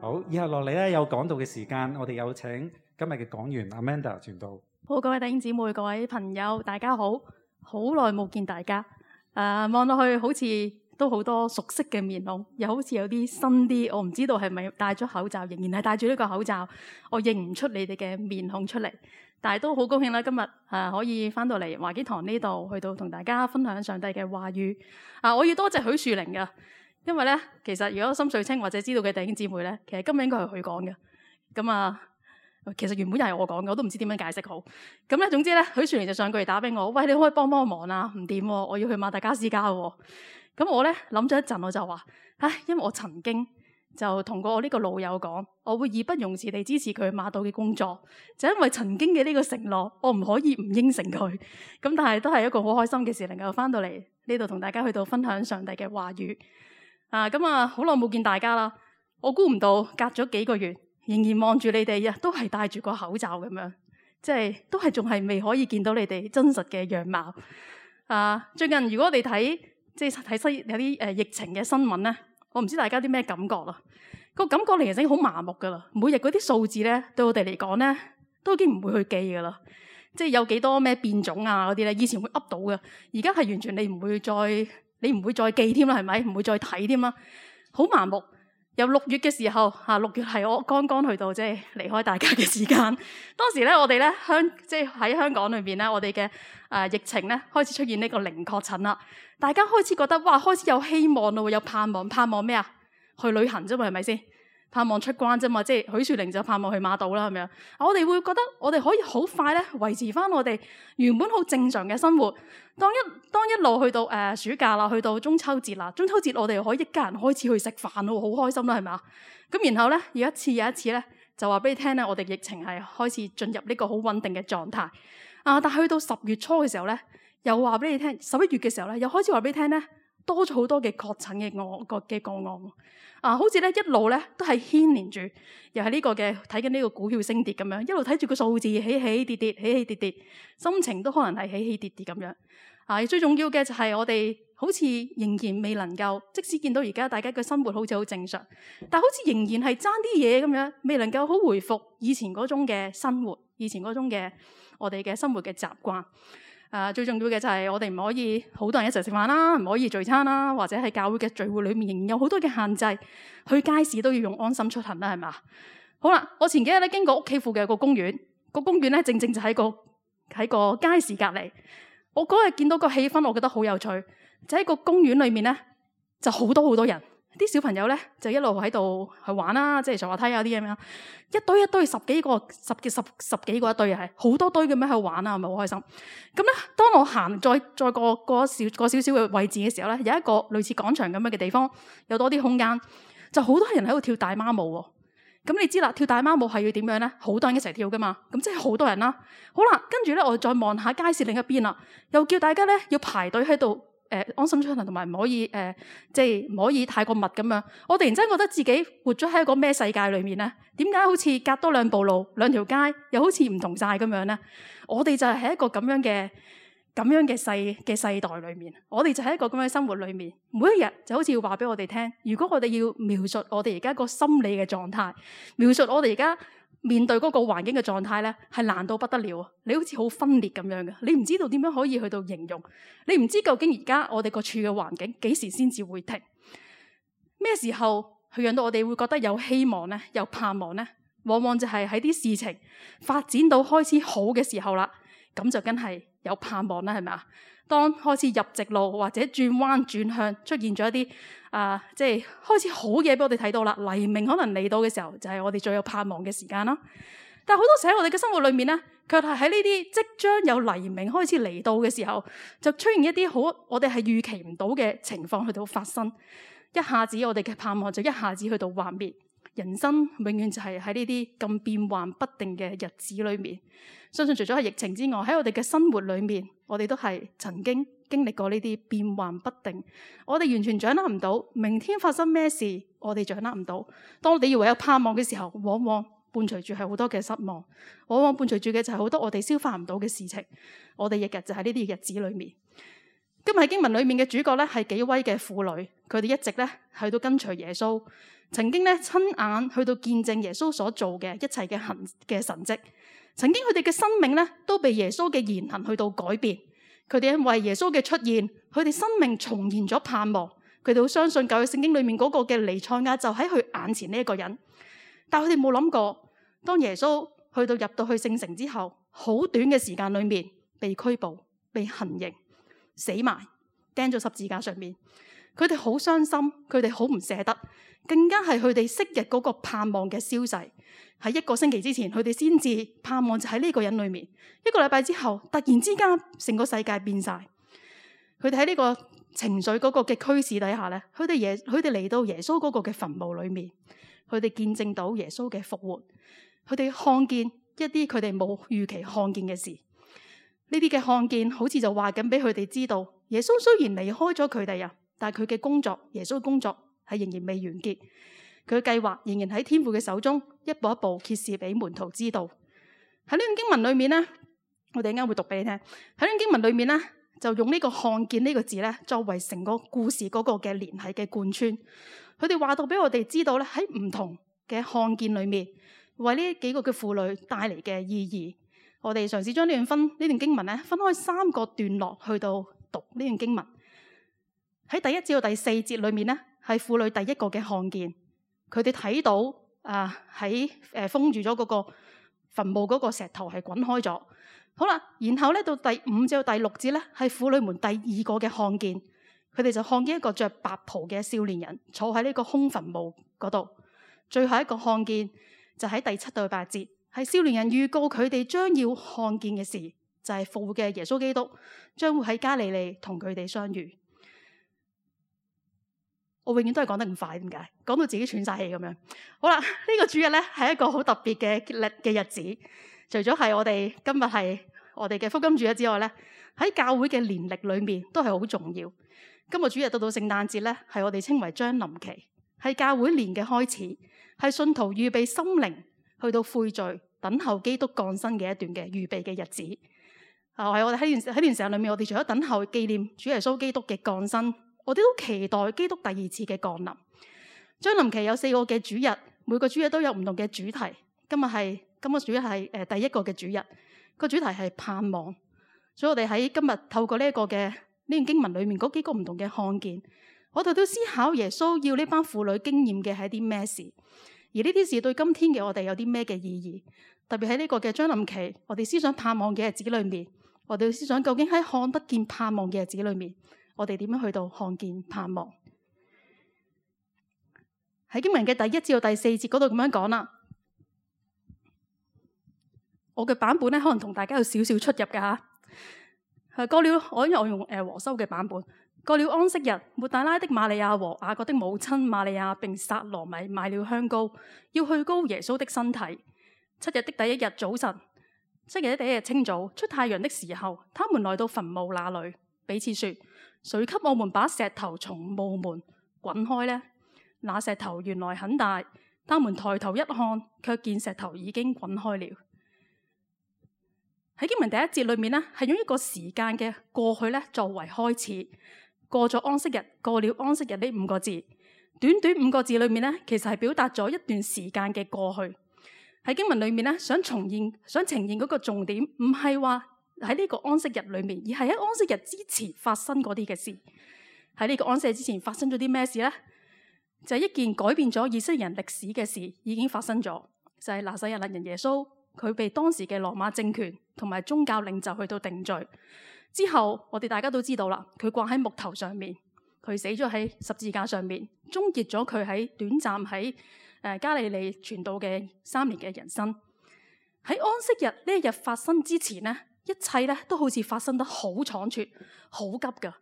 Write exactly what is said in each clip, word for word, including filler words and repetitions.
好，以後落嚟咧有講道嘅時間，我哋有請今日嘅講員 Amanda 傳道。好，各位弟兄姊妹、各位朋友，大家好，好耐冇見大家。誒、呃，望落去好似都好多熟悉嘅面孔，又好似有啲新啲，我唔知道係咪戴咗口罩，仍然係戴住呢個口罩，我認唔出你哋嘅面孔出嚟。但係都好高興啦，今日誒、呃、可以翻到嚟華基堂呢度，去到同大家分享上帝嘅話語。啊，我要多謝許樹玲㗎，因為咧，其實如果心水清或者知道嘅弟兄姊妹咧，其實今日應該係佢講嘅。咁啊，其實原本又係我講嘅，我都唔知點樣解釋好。咁咧，總之咧，許樹玲就上句嚟打俾我，喂，你可以幫幫忙啊？唔掂喎，我要去馬達加斯加喎。咁我咧諗咗一陣，我就話，唉，因為我曾經就同過我呢個老友講，我會義不容辭地支持佢馬島嘅工作，就因為曾經嘅呢個承諾，我唔可以唔應承佢。咁但係都係一個好開心嘅事，能夠翻到嚟呢度同大家去到分享上帝嘅話語。啊，咁啊，好耐冇見大家啦！我估唔到隔咗幾個月，仍然望住你哋啊，都係戴住個口罩咁樣，即係都係仲係未可以見到你哋真實嘅樣貌。啊，最近如果我哋睇即係睇西有啲誒、呃、疫情嘅新聞咧，我唔知大家啲咩感覺啦。個感覺嚟其實已經好麻木噶啦，每日嗰啲數字咧，對我哋嚟講咧，都已經唔會去記噶啦。即係有幾多咩變種啊嗰啲咧，以前會噏到嘅，而家係完全你唔會再。你唔會再記添啦，係咪？唔會再睇添啦，好麻木。由六月嘅時候，嚇六月係我剛剛去到即係離開大家嘅時間。當時咧，我哋咧香即係喺香港裏邊咧，我哋嘅誒疫情咧開始出現呢個零確診啦。大家開始覺得哇，開始有希望咯，有盼望。盼望咩啊？去旅行啫嘛，係咪先？盼望出關啫嘛，即係許樹玲就盼望去馬島啦，係咪啊？我哋會覺得我哋可以好快咧維持翻我哋原本好正常嘅生活。當一當一路去到誒、呃、暑假啦，去到中秋節啦，中秋節我哋可以一家人開始去食飯咯，好開心啦，係咪啊？咁然後咧，有一次有一次咧，就話俾你聽咧，我哋疫情係開始進入呢個好穩定嘅狀態啊！但係去到十月初嘅時候咧，又話俾你聽，十一月嘅時候咧，又開始話俾你聽咧，多咗好多嘅確診嘅個個嘅個案啊，好似咧一路咧都係牽連住，又係呢個嘅睇緊呢個股票升跌咁樣，一路睇住個數字起起跌跌，起起跌跌，心情都可能係起起跌跌咁樣啊。最重要嘅就係我哋好似仍然未能夠，即使見到而家大家嘅生活好似好正常，但好似仍然係爭啲嘢咁樣，未能夠好回復以前嗰種嘅生活，以前嗰種嘅我哋嘅生活嘅習慣。誒、啊、最重要嘅就係我哋唔可以好多人一齊食飯啦，唔可以聚餐啦，或者係教會嘅聚會裏面仍然有好多嘅限制，去街市都要用安心出行啦，係嘛？好啦，我前幾日咧經過屋企附近有個公園，個公園咧正正就喺個喺個街市隔離。我嗰日見到個氣氛，我覺得好有趣，就喺個公園裏面咧就好多好多人。啲小朋友咧就一路喺度去玩啦，即係上滑梯啊啲咁樣，一堆一堆十幾個、十幾十十幾個一堆係好多堆咁樣喺度玩啊，係咪好開心？咁咧，當我行再再過過少過少少嘅位置嘅時候咧，有一個類似廣場咁樣嘅地方，有多啲空間，就好多人喺度跳大媽舞喎。咁你知啦，跳大媽舞係要點樣咧？好多人一齊跳噶嘛，咁即係好多人啦。好啦，跟住咧我再望下街市另一邊啦，又叫大家咧要排隊喺度。誒、呃、安心出行同埋唔可以誒、呃，即係唔可以太過密咁樣。我突然間覺得自己活咗喺一個咩世界裏面咧？點解好似隔多兩步路、兩條街，又好似唔同晒咁樣咧？我哋就係喺一個咁樣嘅咁樣嘅世嘅世代裏面，我哋就喺一個咁樣嘅生活裏面，每一日就好似要話俾我哋聽。如果我哋要描述我哋而家個心理嘅狀態，描述我哋而家面對嗰個環境嘅狀態咧，係難到不得了啊！你好似好分裂咁樣嘅，你唔知道點樣可以去到形容，你唔知究竟而家我哋個處嘅環境幾時先至會停，咩時候去讓到我哋會覺得有希望咧，有盼望咧？往往就係喺啲事情發展到開始好嘅時候啦，咁就梗係有盼望啦，係咪啊？當開始入直路或者轉彎轉向出現咗一啲啊、呃，即係開始好嘢俾我哋睇到啦，黎明可能嚟到嘅時候就係、是、我哋最有盼望嘅時間啦。但係好多時喺我哋嘅生活裏面咧，卻係喺呢啲即將有黎明開始嚟到嘅時候，就出現一啲好我哋係預期唔到嘅情況去到發生，一下子我哋嘅盼望就一下子去到幻滅。人生永遠就係喺呢啲咁變幻不定嘅日子裏面。相信除咗係疫情之外，喺我哋嘅生活裏面，我哋都係曾經經歷過呢啲變幻不定。我哋完全掌握唔到明天發生咩事，我哋掌握唔到。當我哋以為有盼望嘅時候，往往伴隨住係好多嘅失望，往往伴隨住嘅就係好多我哋消化唔到嘅事情。我哋日日就喺呢啲日子裏面。今日喺經文裏面嘅主角咧係幾位嘅婦女，佢哋一直咧去到跟隨耶穌，曾經咧親眼去到見證耶穌所做嘅一切嘅行嘅神蹟，曾經佢哋嘅生命咧都被耶穌嘅言行去到改變，佢哋因為耶穌嘅出現，佢哋生命重現咗盼望，佢哋好相信舊約聖經裏面嗰個嘅彌賽亞就喺佢眼前呢一個人，但係佢哋冇諗過，當耶穌去到入到去聖城之後，好短嘅時間裏面被拘捕、被行刑、死埋，釘咗十字架上面，佢哋好傷心，佢哋好唔捨得，更加係佢哋昔日嗰個盼望嘅消逝。喺一個星期之前，佢哋先至盼望就喺呢個人裏面，一個禮拜之後，突然之間成個世界變晒。佢哋喺呢個情緒嗰個嘅驅使底下咧，佢哋耶佢哋嚟到耶穌嗰個嘅墳墓裏面，佢哋見證到耶穌嘅復活，佢哋看見一啲佢哋冇預期看見嘅事。呢啲嘅看見好似就話緊俾佢哋知道，耶穌雖然離開咗佢哋啊，但係佢嘅工作，耶穌嘅工作係仍然未完結，佢嘅計劃仍然喺天父嘅手中，一步一步揭示俾門徒知道。喺呢段經文裏面咧，我哋陣間會讀俾你聽。喺呢段經文裏面咧，就用呢個看見呢個字咧，作為成個故事嗰個嘅聯繫嘅貫穿。佢哋話到俾我哋知道咧，喺唔同嘅看見裏面，為呢幾個嘅婦女帶嚟嘅意義。我哋嘗試將呢段分呢段經文咧，分開三個段落去到讀呢段經文。喺第一至到第四節裏面咧，係婦女第一個嘅看見，佢哋睇到啊喺誒封住咗嗰個墳墓嗰個石頭係滾開咗。好啦，然後咧到第五至到第六節咧，係婦女們第二個嘅看見，佢哋就看見一個着白袍嘅少年人坐喺呢個空墳墓嗰度。最後一個看見就喺第七到八節。係少年人預告佢哋將要看見嘅事，就係復活嘅耶穌基督將會喺加利利同佢哋相遇。我永遠都係講得咁快，點解？講到自己喘晒氣咁樣。好啦，呢、這個主日咧係一個好特別嘅日嘅日子。除咗係我哋今日係我哋嘅福音主日之外咧，喺教會嘅年曆裏面都係好重要。今日主日到到聖誕節咧，係我哋稱為將臨期，係教會年嘅開始，係信徒預備心靈去到悔罪、等候基督降生嘅一段嘅預備嘅日子。啊，係我哋喺段喺段時間裏面，我哋除咗等候紀念主耶穌基督嘅降生，我哋都期待基督第二次嘅降臨。將臨期有四個嘅主日，每個主日都有唔同嘅主題。今日係今個主日係誒第一個嘅主日，個主題係盼望。所以我哋喺今日透過呢一個嘅呢段經文裏面嗰幾個唔同嘅看見，我哋都思考耶穌要呢班婦女經驗嘅係啲咩事。而呢啲事對今天嘅我哋有啲咩嘅意義？特別喺呢個嘅將臨期，我哋思想盼望嘅日子裏面，我哋思想究竟喺看得見盼望嘅日子裏面，我哋點樣去到看見盼望？喺經文嘅第一至到第四節嗰度咁樣講啦。我嘅版本咧，可能同大家有少少出入㗎吓。係過了，我因為我用誒和修嘅版本。過了安息日，抹大拉的瑪利亞和雅各的母親瑪利亞並撒羅米買了香膏，要去膏耶穌的身體。七日的第一日早晨，七日的第一日清早，出太陽的時候，他們來到墳墓那裏，彼此說：誰給我們把石頭從墓門滾開呢？那石頭原來很大，他們抬頭一看，卻見石頭已經滾開了。喺經文第一節裏面呢，係用一個時間嘅過去咧作為開始。過咗安息日，過了安息日呢五個字，短短五個字裏面呢，其實係表達咗一段時間嘅過去。喺經文裏面呢，想重現、想呈現嗰個重點，唔係話喺呢個安息日裏面，而係喺安息日之前發生嗰啲嘅事。喺呢個安息日之前發生咗啲咩事呢？就係一件改變咗以色列人歷史嘅事已經發生咗，就係拿撒勒人耶穌，佢被當時嘅羅馬政權同埋宗教領袖去到定罪。之後，我哋大家都知道啦，佢掛喺木頭上面，佢死咗喺十字架上面，終結咗佢喺短暫喺誒加利利傳道嘅三年嘅人生。喺安息日呢一日發生之前呢，一切咧都好似發生得好倉促、好急噶。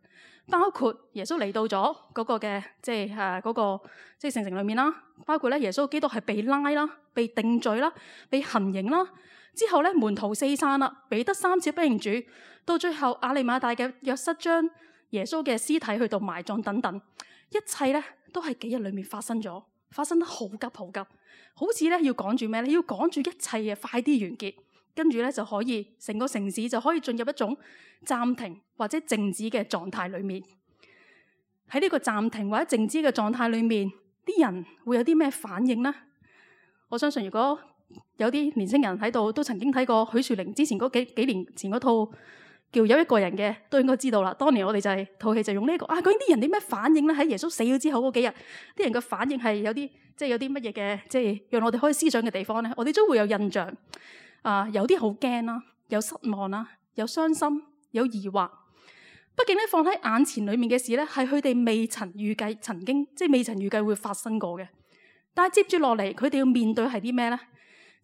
包括耶穌嚟到咗嗰個嘅即係誒嗰個即係聖城裏面啦，包括咧耶穌基督係被拉啦、被定罪啦、被行刑啦。之後咧門徒四散啦，彼得三次不認主，到最後亞利馬太嘅約瑟將耶穌嘅屍體去到埋葬等等，一切咧都係幾日裏面發生咗，發生得好急好急，好似咧要趕住咩咧？要趕住一切嘅快啲完結，跟住咧就可以成個城市就可以進入一種暫停或者靜止嘅狀態裏面。喺呢個暫停或者靜止嘅狀態裏面，啲人會有啲咩反應呢？我相信如果有啲年輕人喺度都曾經睇過許樹寧之前嗰幾幾年前嗰套叫有一個人嘅，都應該知道啦。當年我哋就係、是、套戲就用呢、這個啊，究竟啲人啲咩反應咧？喺耶穌死咗之後嗰幾日，啲人嘅反應係有啲即係有啲乜嘢嘅，即係讓我哋可以思想嘅地方咧。我哋都會有印象啊，有啲好驚啦，有失望啦，有傷心，有疑惑。畢竟咧，放喺眼前裏面嘅事咧，係佢哋未曾預計，曾經即係未曾預計會發生過嘅。但係接住落嚟，佢哋要面對係啲咩咧？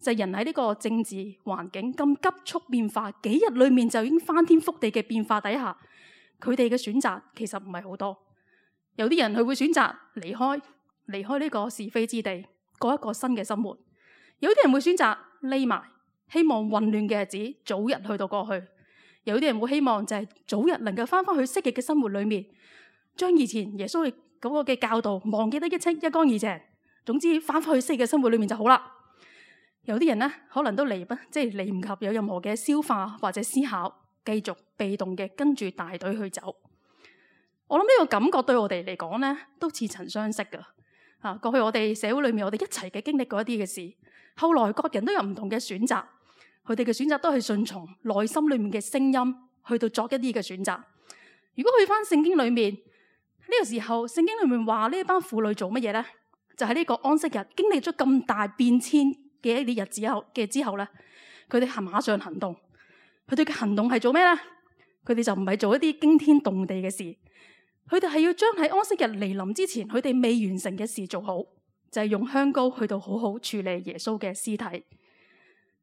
就係人喺呢個政治環境咁急速變化，幾日裏面就已經翻天覆地嘅變化底下，佢哋嘅選擇其實唔係好多。有啲人佢會選擇離開，離開呢個是非之地，過一個新嘅生活；有啲人會選擇匿埋，希望混亂嘅日子早日去到過去；有啲人會希望就係早日能夠翻返去昔日嘅生活裏面，將以前耶穌嗰個嘅教導忘記得一清一乾二淨。總之翻返去昔日嘅生活裏面就好啦。有啲人咧，可能都嚟不即係嚟唔及有任何嘅消化或者思考，繼續被動嘅跟住大隊去走。我諗呢個感覺對我哋嚟講咧，都似曾相識噶。啊，過去我哋社會裏面，我哋一齊嘅經歷過一啲嘅事，後來各人都有唔同嘅選擇，佢哋嘅選擇都係順從內心裏面嘅聲音，去到作一啲嘅選擇。如果去翻聖經裏面呢個時候，聖經裏面話呢一班婦女做乜嘢咧？就喺呢個安息日經歷咗咁大變遷嘅一啲日子後嘅之後咧，佢哋係馬上行動。佢哋嘅行動係做咩咧？佢哋就唔係做一啲驚天動地嘅事，佢哋係要將喺安息日嚟臨之前，佢哋未完成嘅事做好，就係用香膏去到好好處理耶穌嘅屍體。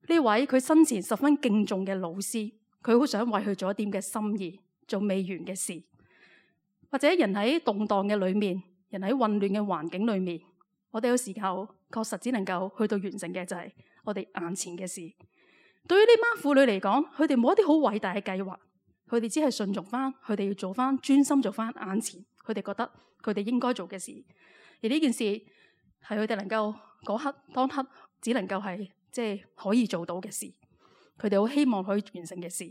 呢位佢生前十分敬重嘅老師，佢好想為佢做一點嘅心意，做未完嘅事。或者人喺動盪嘅裏面，人喺混亂嘅環境裏面，我哋有時候確實只能夠去到完成嘅就係我哋眼前嘅事。對於呢班婦女嚟講，佢哋冇一啲好偉大嘅計劃，佢哋只係順從翻，佢哋要做翻專心做翻眼前，佢哋覺得佢哋應該做嘅事。而呢件事係佢哋能夠嗰刻當刻只能夠係即係可以做到嘅事，佢哋好希望可以完成嘅事。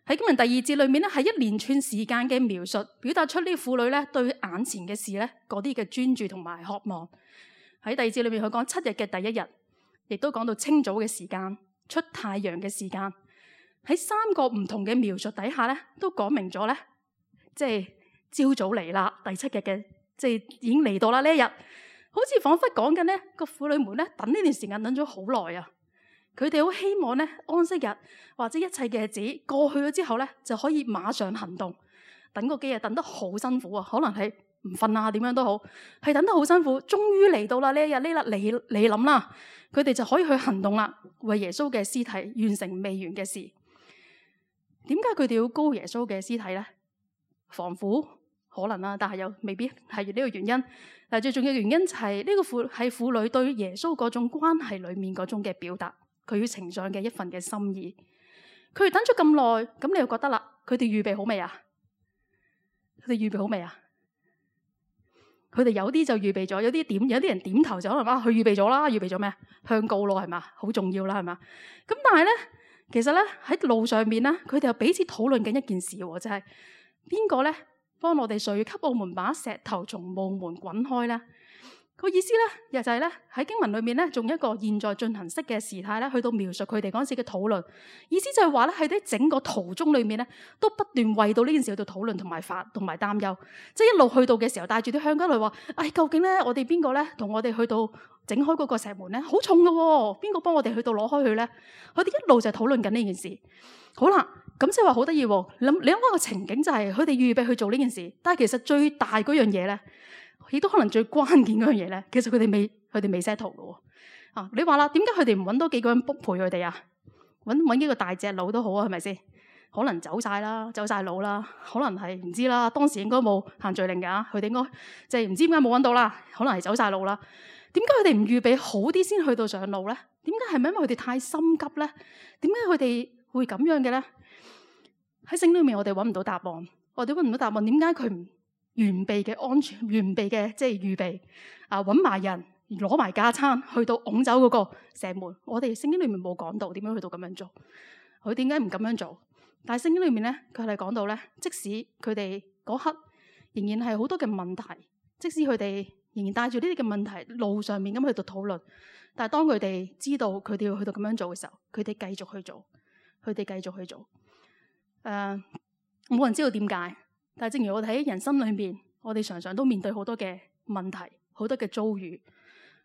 喺經文第二節裏面咧，係一連串時間嘅描述，表達出呢啲婦女咧對眼前嘅事咧嗰啲嘅專注同埋渴望。喺第二節裏面，佢講七日嘅第一日，亦都講到清早嘅時間、出太陽嘅時間。喺三個唔同嘅描述底下咧，都講明咗咧，即係朝早嚟啦，第七日嘅即係已經嚟到啦呢一日，好似彷彿講緊呢個婦女們咧等呢段時間等咗好耐啊！佢哋好希望咧安息日或者一切嘅日子過去咗之後咧，就可以馬上行動。等個幾日等得好辛苦啊，可能係唔瞓啊，點樣都好，係等得好辛苦。終於嚟到啦呢一日，呢日嚟嚟臨啦，佢哋就可以去行動啦，為耶穌嘅屍體完成未完嘅事。點解佢哋要膏耶穌嘅屍體咧？防腐可能啦，但係又未必係呢個原因。但最重要嘅原因就係呢個婦係婦女對耶穌嗰種關係裏面嗰種嘅表達，佢要呈上嘅一份嘅心意。佢哋等咗咁耐，咁你又覺得啦？佢哋預備好未啊？佢哋預備好未啊？佢哋有啲就預備咗，有啲點，有啲人點頭就可能啊，佢預備咗啦，預備咗咩？香膏咯，係嘛？好重要啦，係嘛？咁但係咧，其實咧喺路上面咧，佢哋又彼此討論緊一件事，就係邊個咧幫我哋誰給我們把石頭從墓門滾開咧？個意思咧，又就係咧喺經文裏面咧，仲一個現在進行式嘅時態咧，去到描述佢哋嗰陣時嘅討論。意思就係話咧，喺啲整個途中裏面咧，都不斷為到呢件事去到討論同埋煩同埋擔憂。即係一路去到嘅時候，帶住啲香膏嚟話：唉、哎，究竟咧我哋邊個咧同我哋去到整開嗰個石門咧，好重㗎喎，邊個幫我哋去到攞開佢咧？佢哋一路就係討論緊呢件事。好啦，咁即係話好得意喎。諗你諗下個情景就係佢哋預備去做呢件事，但係其實最大嗰樣嘢咧。亦都可能最關鍵嗰樣嘢咧，其實佢哋未佢哋未 settle 嘅喎。啊，你話啦，點解佢哋唔揾多幾個人 book 陪佢哋啊？揾揾幾個大隻佬都好啊，係咪先？可能走晒啦，走晒佬啦，可能係唔知啦。當時應該冇限聚令㗎，佢哋應該即係唔知點解冇揾到啦。可能係走晒路啦。點解佢哋唔預備好啲先去到上路咧？點解係咪因為佢哋太心急咧？點解佢哋會咁樣嘅咧？喺聖經裏面，我哋揾唔到答案。我哋揾唔到答案，點解佢唔？完備嘅安全，完備嘅即係預備啊！揾埋人攞埋架撐去到拱走嗰個石門。我哋聖經裏面冇講到點樣去到咁樣做，佢點解唔咁樣做？但係聖經裏面咧，佢係講到咧，即使佢哋嗰刻仍然係好多嘅問題，即使佢哋仍然帶住呢啲嘅問題路上面咁去到討論，但係當佢哋知道佢哋要去到咁樣做嘅時候，佢哋繼續去做，佢哋繼續去做。誒、呃，冇人知道點解，但係正如我哋喺人生裏面，我哋常常都面對好多嘅問題，好多嘅遭遇。誒、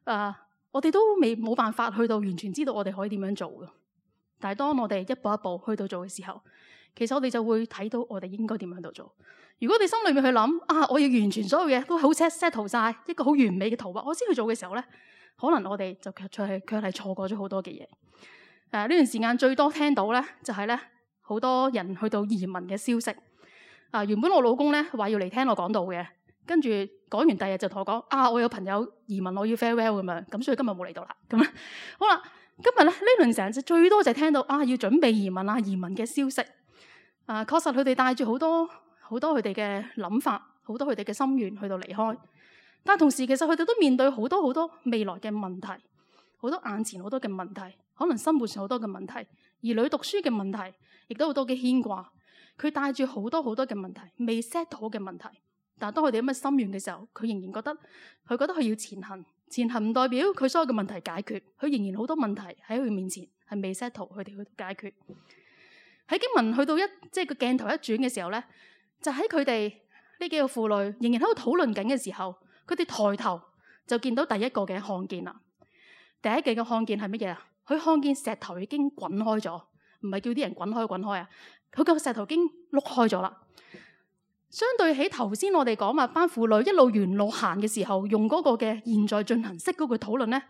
呃，我哋都未冇辦法去到完全知道我哋可以點樣做嘅。但係當我哋一步一步去到做嘅時候，其實我哋就會睇到我哋應該點樣喺度做。如果你心裏面去諗啊，我要完全所有嘢都好 set set 晒一個好完美嘅圖畫，我先去做嘅時候咧，可能我哋就卻係卻係錯過咗好多嘅嘢。誒、啊，呢段時間最多聽到咧就係咧好多人去到移民嘅消息。啊，原本我老公咧話要嚟聽我講道嘅，跟住講完第二日就同我講啊，我有朋友移民，我要 farewell 咁樣，咁所以今日冇嚟到啦。咁啊，好啦，今日咧呢輪成日最多就係聽到啊要準備移民啊移民嘅消息。啊，確實佢哋帶住好多好多佢哋嘅諗法，好多佢哋嘅心願去到離開。但係同時其實佢哋都面對好多好多未來嘅問題，好多眼前好多嘅問題，可能生活上好多嘅問題，兒女讀書嘅問題，亦都好多嘅牽掛。佢帶住好多好多嘅問題，未 set 好嘅問題。但係當佢哋咁嘅心願嘅時候，佢仍然覺得佢覺得佢要前行。前行唔代表佢所有嘅問題解決，佢仍然好多問題喺佢面前係未 set 好，佢哋去解決。喺經文去到一即係個鏡頭一轉嘅時候咧，就喺佢哋呢幾個婦女仍然喺度討論緊嘅時候，佢哋抬頭就見到第一個嘅看見啦。第一個嘅看見係乜嘢啊？佢看見石頭已經滾開咗，唔係叫啲人滾開滾開啊！佢個石頭已經碌開咗啦。相對起頭先我哋講話班婦女一路沿路行嘅時候，用嗰個嘅現在進行式嗰個討論咧。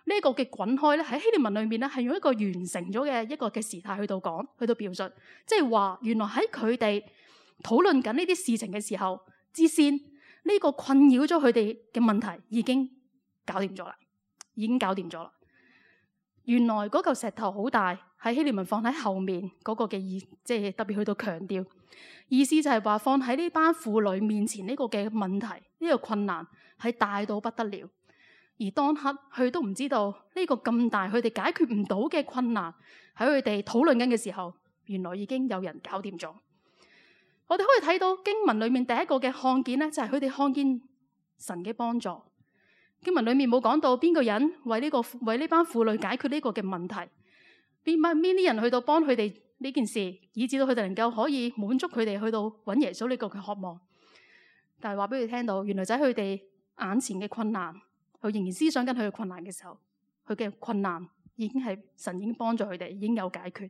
呢一個嘅滾開咧，喺希臘文裏面咧，係用一個完成咗嘅一個嘅時態去到講，去到表述，即係話原來喺佢哋討論緊呢啲事情嘅時候，之先呢個困擾咗佢哋嘅問題已經搞掂咗啦，已經搞掂咗啦。原來嗰嚿石頭好大，喺希臘文放喺後面嗰個嘅意，即係特別去到強調意思就係話放喺呢班婦女面前呢個嘅問題，呢個困難係大到不得了。而當刻佢都唔知道呢個咁大，佢哋解決唔到嘅困難喺佢哋討論緊嘅時候，原來已經有人搞掂咗。我哋可以睇到經文裏面第一個嘅看見咧，就係佢哋看見神嘅幫助。經文裏面冇講到邊個人為呢個為呢班婦女解決呢個嘅問題，邊班邊啲人去到幫佢哋呢件事，以至到佢哋能夠可以滿足佢哋去到揾耶穌呢個嘅渴望。但係話俾佢聽到，原來就喺佢哋眼前嘅困難。佢仍然思想緊佢嘅困難嘅時候，佢嘅困難已經係神已經幫助佢哋，已經有解決。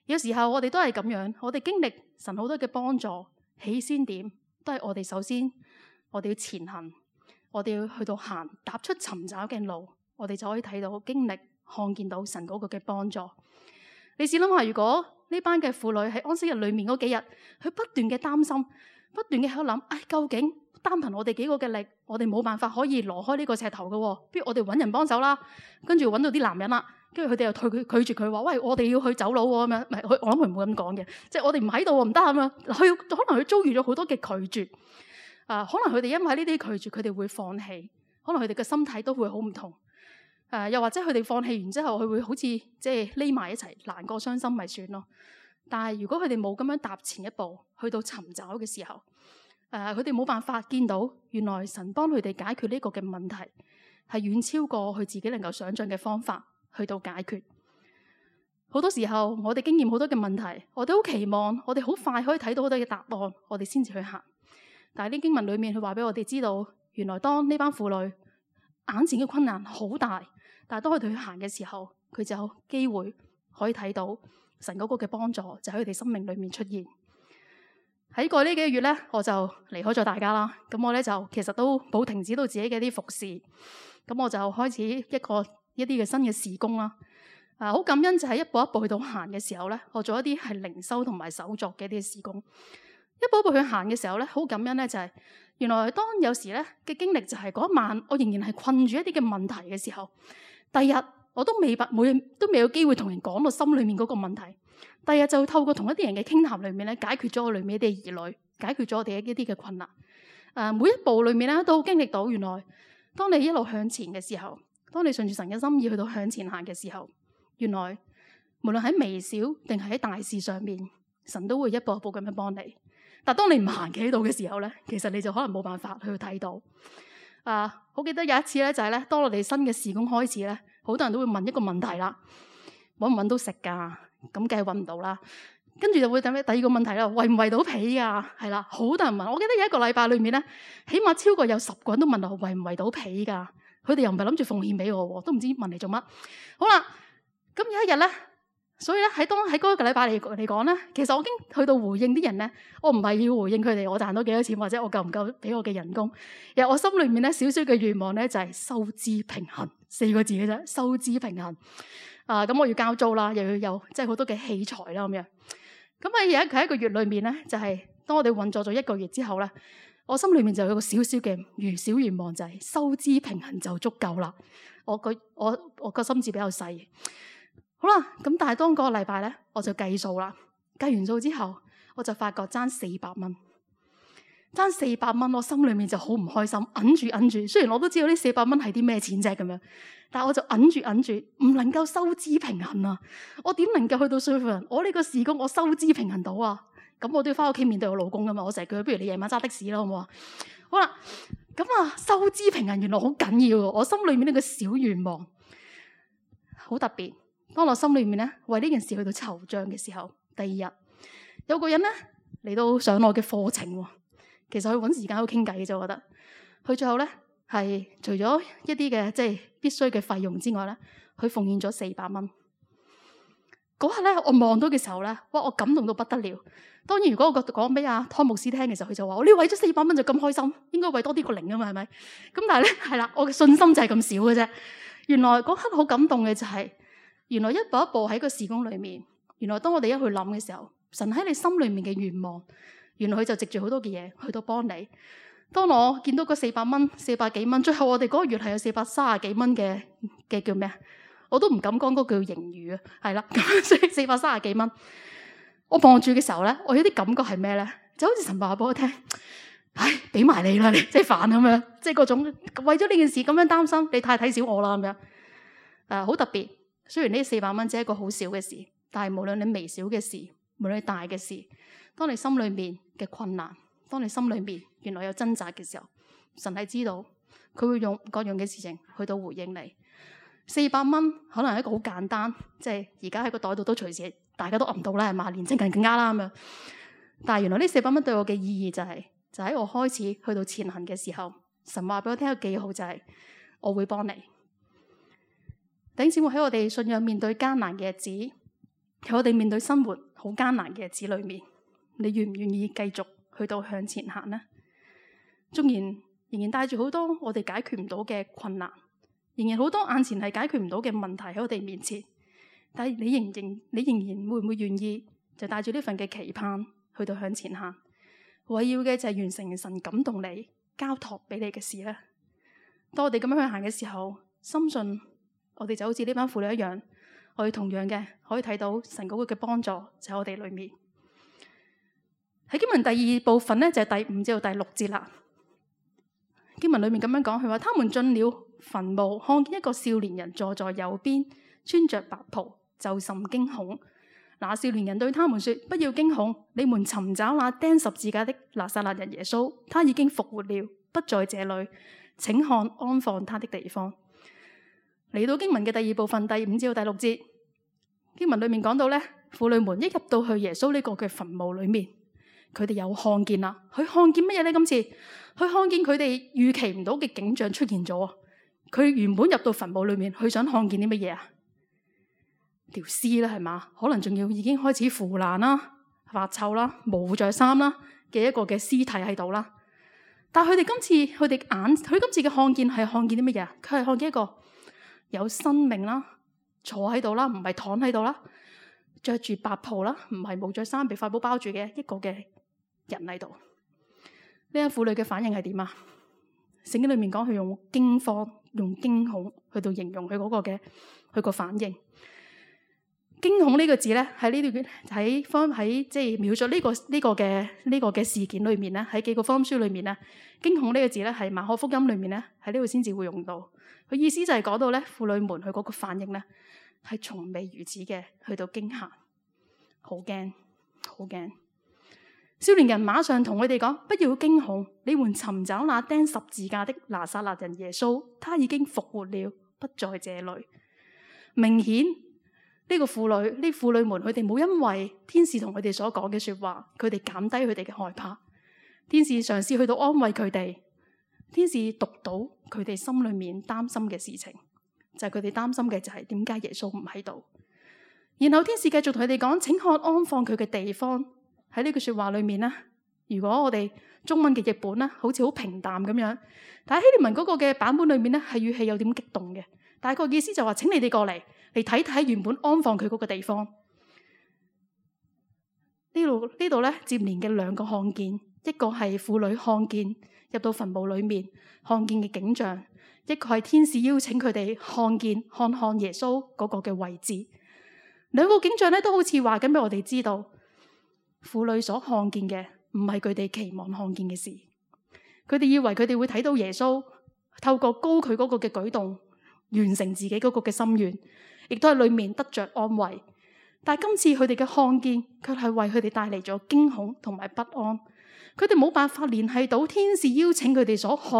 有時候我哋都係咁樣，我哋經歷神好多嘅幫助，起先點都係我哋首先，我哋要前行，我哋要去到行，踏出尋找嘅路，我哋就可以睇到經歷，看見到神嗰個嘅幫助。你試諗下，如果呢班嘅婦女喺安息日裏面嗰幾日，佢不斷嘅擔心，不斷嘅喺度諗，唉，究竟單憑我哋幾個嘅力，我哋冇辦法可以攞開呢個石頭嘅，不如我哋揾人幫手啦。跟住揾到啲男人啦，跟住佢哋又退佢拒絕佢話，喂，我哋要去走佬喎咁樣。唔係，我諗佢唔會咁講嘅，即係我哋唔喺度唔得咁樣。佢可能佢遭遇咗好多嘅拒絕，啊，可能佢哋因為呢啲拒絕，佢哋會放棄，可能佢哋嘅心態都會好唔同。誒，又或者佢哋放棄完之後，佢會好似即係匿埋一齊，難過傷心咪算咯。但係如果佢哋冇咁樣踏前一步，去到尋找嘅時候，誒，佢哋冇辦法見到原來神幫佢哋解決呢個嘅問題，係遠超過佢自己能夠想象嘅方法去到解決。好多時候我哋經驗好多嘅問題，我哋好期望我哋好快可以睇到好多嘅答案，我哋先至去行。但係呢經文裏面佢話俾我哋知道，原來當呢班婦女眼前嘅困難好大，但係當佢哋去行嘅時候，佢就有機會可以睇到神嗰個嘅幫助就喺佢哋生命裏面出現。喺過呢幾個月咧，我就離開咗大家啦。咁我咧就其實都冇停止到自己嘅啲服侍。咁我就開始一個一啲嘅新嘅事工啦。啊，好感恩就係一步一步去到行嘅時候咧，我做一啲係靈修同埋手作嘅一啲事工。一步一步去行嘅時候咧，好感恩咧就係原來當有時咧嘅經歷就係嗰一晚，我仍然係困住一啲嘅問題嘅時候，第二日我都未每都未有機會同人講到心裏面嗰個問題。第二日就透過同一啲人嘅傾談裏面咧，解決咗我裏面一啲疑慮，解決咗我哋一啲嘅困難。誒、呃，每一步裏面咧都經歷到原來當你一路向前嘅時候，當你順住神嘅心意去到向前行嘅時候，原來無論喺微小定係喺大事上面，神都會一步一步咁樣幫你。但當你唔行企喺度嘅時候咧，其實你就可能冇辦法去睇到。啊，好記得有一次咧，就係咧，當我哋新嘅事工開始咧，好多人都會問一個問題啦，搵唔搵到食噶？咁梗係搵唔到啦。跟住就會等咩？第二個問題啦，圍唔圍到皮噶？係啦，好多人問。我記得有一個禮拜裏面咧，起碼超過有十個人都問我圍唔圍到皮噶。佢哋又唔係諗住奉獻俾我，都唔知問嚟做乜。好啦，咁有一日咧，所以咧喺當喺嗰個禮拜嚟嚟講咧，其實我已經去到回應啲人咧，我唔係要回應佢哋我賺到幾多錢或者我夠唔夠俾我嘅人工。其實我心裏面咧少少嘅願望咧就係收支平衡四個字嘅啫，收支平衡。啊，咁我要交租啦，又要有即係好多嘅器材啦咁樣。咁喺有一佢一個月裏面咧，就係、是、當我哋運作咗一個月之後咧，我心裏面就有個少少嘅願小願望，就係收支平衡就足夠啦。我個我我個心智比較細。好啦，咁但係當嗰個禮拜咧，我就計數啦。計完數之後，我就發覺爭四百蚊，爭四百蚊，我心裏面就好唔開心，揞住揞住。雖然我都知道呢四百蚊係啲咩錢啫咁樣，但係我就揞住揞住，唔能夠收支平衡啊！我點能夠去到說服人？我呢個事工我收支平衡到啊？咁我都要翻屋企面對我老公噶嘛？我成日叫佢，不如你夜晚揸的士啦，好唔好啊？好啦，咁啊，收支平衡原來好緊要喎。我心裏面呢個小願望好特別。當我心裏面咧為呢件事去到籌帳嘅時候，第二日有個人咧嚟到上我嘅課程喎。其實佢揾時間喺度傾偈嘅啫，我覺得佢最後咧係除咗一啲嘅即係必須嘅費用之外咧，佢奉獻咗四百蚊。嗰刻咧我望到嘅時候咧，哇！我感動到不得了。當然如果我講俾阿湯牧師聽嘅時候，佢就話：我呢為咗四百蚊就咁開心，應該為多啲個零啊嘛，係咪？咁但係咧係啦，我嘅信心就係咁少嘅啫。原來嗰刻好感動嘅就係、是。原來一步一步喺個事工裏面，原來當我哋一去諗嘅時候，神喺你心裏面嘅願望，原來佢就藉住好多嘅嘢去到幫你。當我見到嗰四百蚊、四百幾蚊，最後我哋嗰個月係有四百三十幾蚊嘅嘅叫咩啊？我都唔敢講嗰個叫盈餘啊，係啦，咁所以四百三十幾蚊，我望住嘅時候咧，我有啲感覺係咩咧？就好似神話俾我聽，唉，俾埋你啦，你即係煩咁樣，即係嗰種為咗呢件事咁樣擔心，你太睇小我啦咁樣，誒、呃，好特別。雖然呢四百蚊只係一個好小嘅事，但係無論你微小嘅事，無論你大嘅事，當你心裏面嘅困難，當你心裏面原來有掙扎嘅時候，神係知道，佢會用各樣嘅事情去到回應你。四百蚊可能係一個好簡單，即係而家喺個袋度都隨時大家都揞到啦，係嘛？年青人更加啦咁樣。但係原來呢四百蚊對我嘅意義就係、是，就喺我開始去到前行嘅時候，神話俾我聽一個記號就係、是，我會幫你。弟兄姊妹，喺我哋信仰面對艱難嘅日子，喺我哋面對生活好艱難嘅日子裏面，你願唔願意繼續去到向前行呢？縱然仍然帶住好多我哋解決唔到嘅困難，仍然好多眼前係解決唔到嘅問題喺我哋面前，但係你仍然你仍然會唔會願意就帶住呢份嘅期盼去到向前行？為要嘅就係完成神感動你交託俾你嘅事呢。當我哋咁樣去行嘅時候，深信我哋就好似呢班婦女一樣，我哋同樣嘅可以睇到神嗰個嘅幫助就喺我哋裏面。喺經文第二部分咧，就係第五至到第六節啦。經文裏面咁樣講，佢話：他們進了墳墓，看見一個少年人坐在右邊，穿着白袍，就甚驚恐。那少年人對他們說：不要驚恐，你們尋找那釘十字架的拿撒勒人耶穌，他已經復活了，不在這裏，請看安放他的地方。嚟到經文嘅第二部分，第五至到第六節，經文裏面講到咧，婦女們一入到去耶穌呢個嘅墳墓裏面，佢哋有看見啦。佢看見乜嘢咧？今次佢看見佢哋預期唔到嘅景象出現咗。佢原本入到墳墓裏面，佢想看見啲乜嘢啊？條屍啦，係嘛？可能仲要已經開始腐爛啦、發臭啦、冇着衫啦嘅一個嘅屍體喺度啦。但係佢哋今次佢哋眼，佢今次嘅看見係看見啲乜嘢啊？佢係看見一個有生命啦，坐喺度啦，唔係躺喺度啦，着住白袍啦，唔係冇着衫，被塊布包住嘅一個嘅人喺度。呢個婦女嘅反應係點啊？聖經裏面講佢用驚慌、用驚恐去到形容佢嗰個嘅佢個反應。驚恐呢個字咧，喺呢段喺方喺即係描述呢、這個呢、這個嘅呢、這個嘅事件裏面咧，喺幾個福音書裏面咧，驚恐呢個字咧係馬可福音裏面咧喺呢度先至會用到。佢意思就係講到咧，婦女們佢嗰個反應咧係從未如此嘅，去到驚嚇，好驚，好驚。少年人馬上同佢哋講：不要驚恐，你們尋找那釘十字架的拿撒勒人耶穌，他已經復活了，不在這裏。明顯呢個婦女，呢婦女們，佢哋冇因為天使同佢哋所講嘅說話，佢哋減低佢哋嘅害怕。天使嘗試去到安慰佢哋，天使讀到佢哋心裏面擔心嘅事情，就係佢哋擔心嘅就係點解耶穌唔喺度。然後天使繼續同佢哋講：請看安放佢嘅地方。喺呢句說話裏面咧，如果我哋中文嘅譯本咧，好似好平淡咁樣，但係希臘文嗰個嘅版本裏面咧，係語氣有點激動嘅。大概意思就話：請你哋過嚟嚟睇睇原本安放佢嗰個地方。呢度呢度咧接連嘅兩個看見，一個係婦女看見入到墳墓裏面看見嘅景象，一個係天使邀請佢哋看見看看耶穌嗰個嘅位置。兩個景象咧都好似話緊俾我哋知道。婦女所看見嘅唔係佢哋期望看見嘅事，佢哋以為佢哋會睇到耶穌透過高佢嗰個嘅舉動完成自己嗰個嘅心願，亦都喺裏面得着安慰。但係今次佢哋嘅看見卻係為佢哋帶嚟咗驚恐同埋不安，佢哋冇辦法聯繫到天使邀請佢哋所看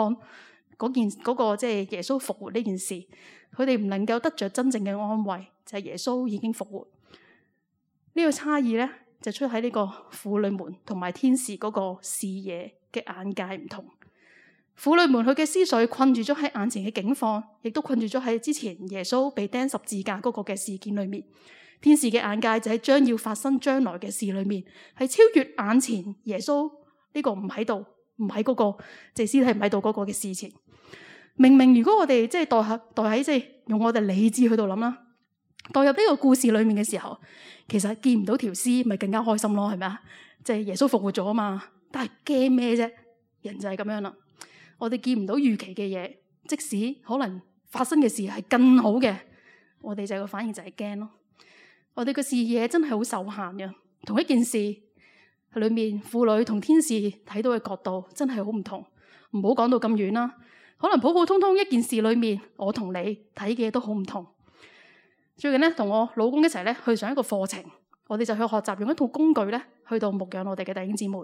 嗰件嗰個即係耶穌復活呢件事，佢哋唔能夠得着真正嘅安慰，就係耶穌已經復活。呢個差異咧，就出喺呢個婦女們同埋天使嗰個視野嘅眼界唔同。婦女們佢嘅思緒困住咗喺眼前嘅境況，亦都困住咗喺之前耶穌被釘十字架嗰個嘅事件裏面。天使嘅眼界就喺將要發生將來嘅事裏面，係超越眼前耶穌呢個唔喺度，唔喺嗰個即係屍體唔喺度嗰個嘅事情。明明如果我哋即係代下代喺即係用我哋理智去度諗啦，代入呢個故事裏面嘅時候，其實見唔到條屍咪更加開心咯，係咪啊？即係耶穌復活咗啊嘛，但係驚咩啫？人就係咁樣啦。我哋見唔到預期嘅嘢，即使可能發生嘅事係更好嘅，我哋就個反應就係驚咯。我哋嘅視野真係好受限嘅，同一件事裏面，婦女同天使睇到嘅角度真係好唔同。唔好講到咁遠啦，可能普普通通一件事裏面，我同你睇嘅都好唔同。最近咧，同我老公一齊咧去上一個課程，我哋就去學習用一套工具咧，去到牧養我哋嘅弟兄姊妹。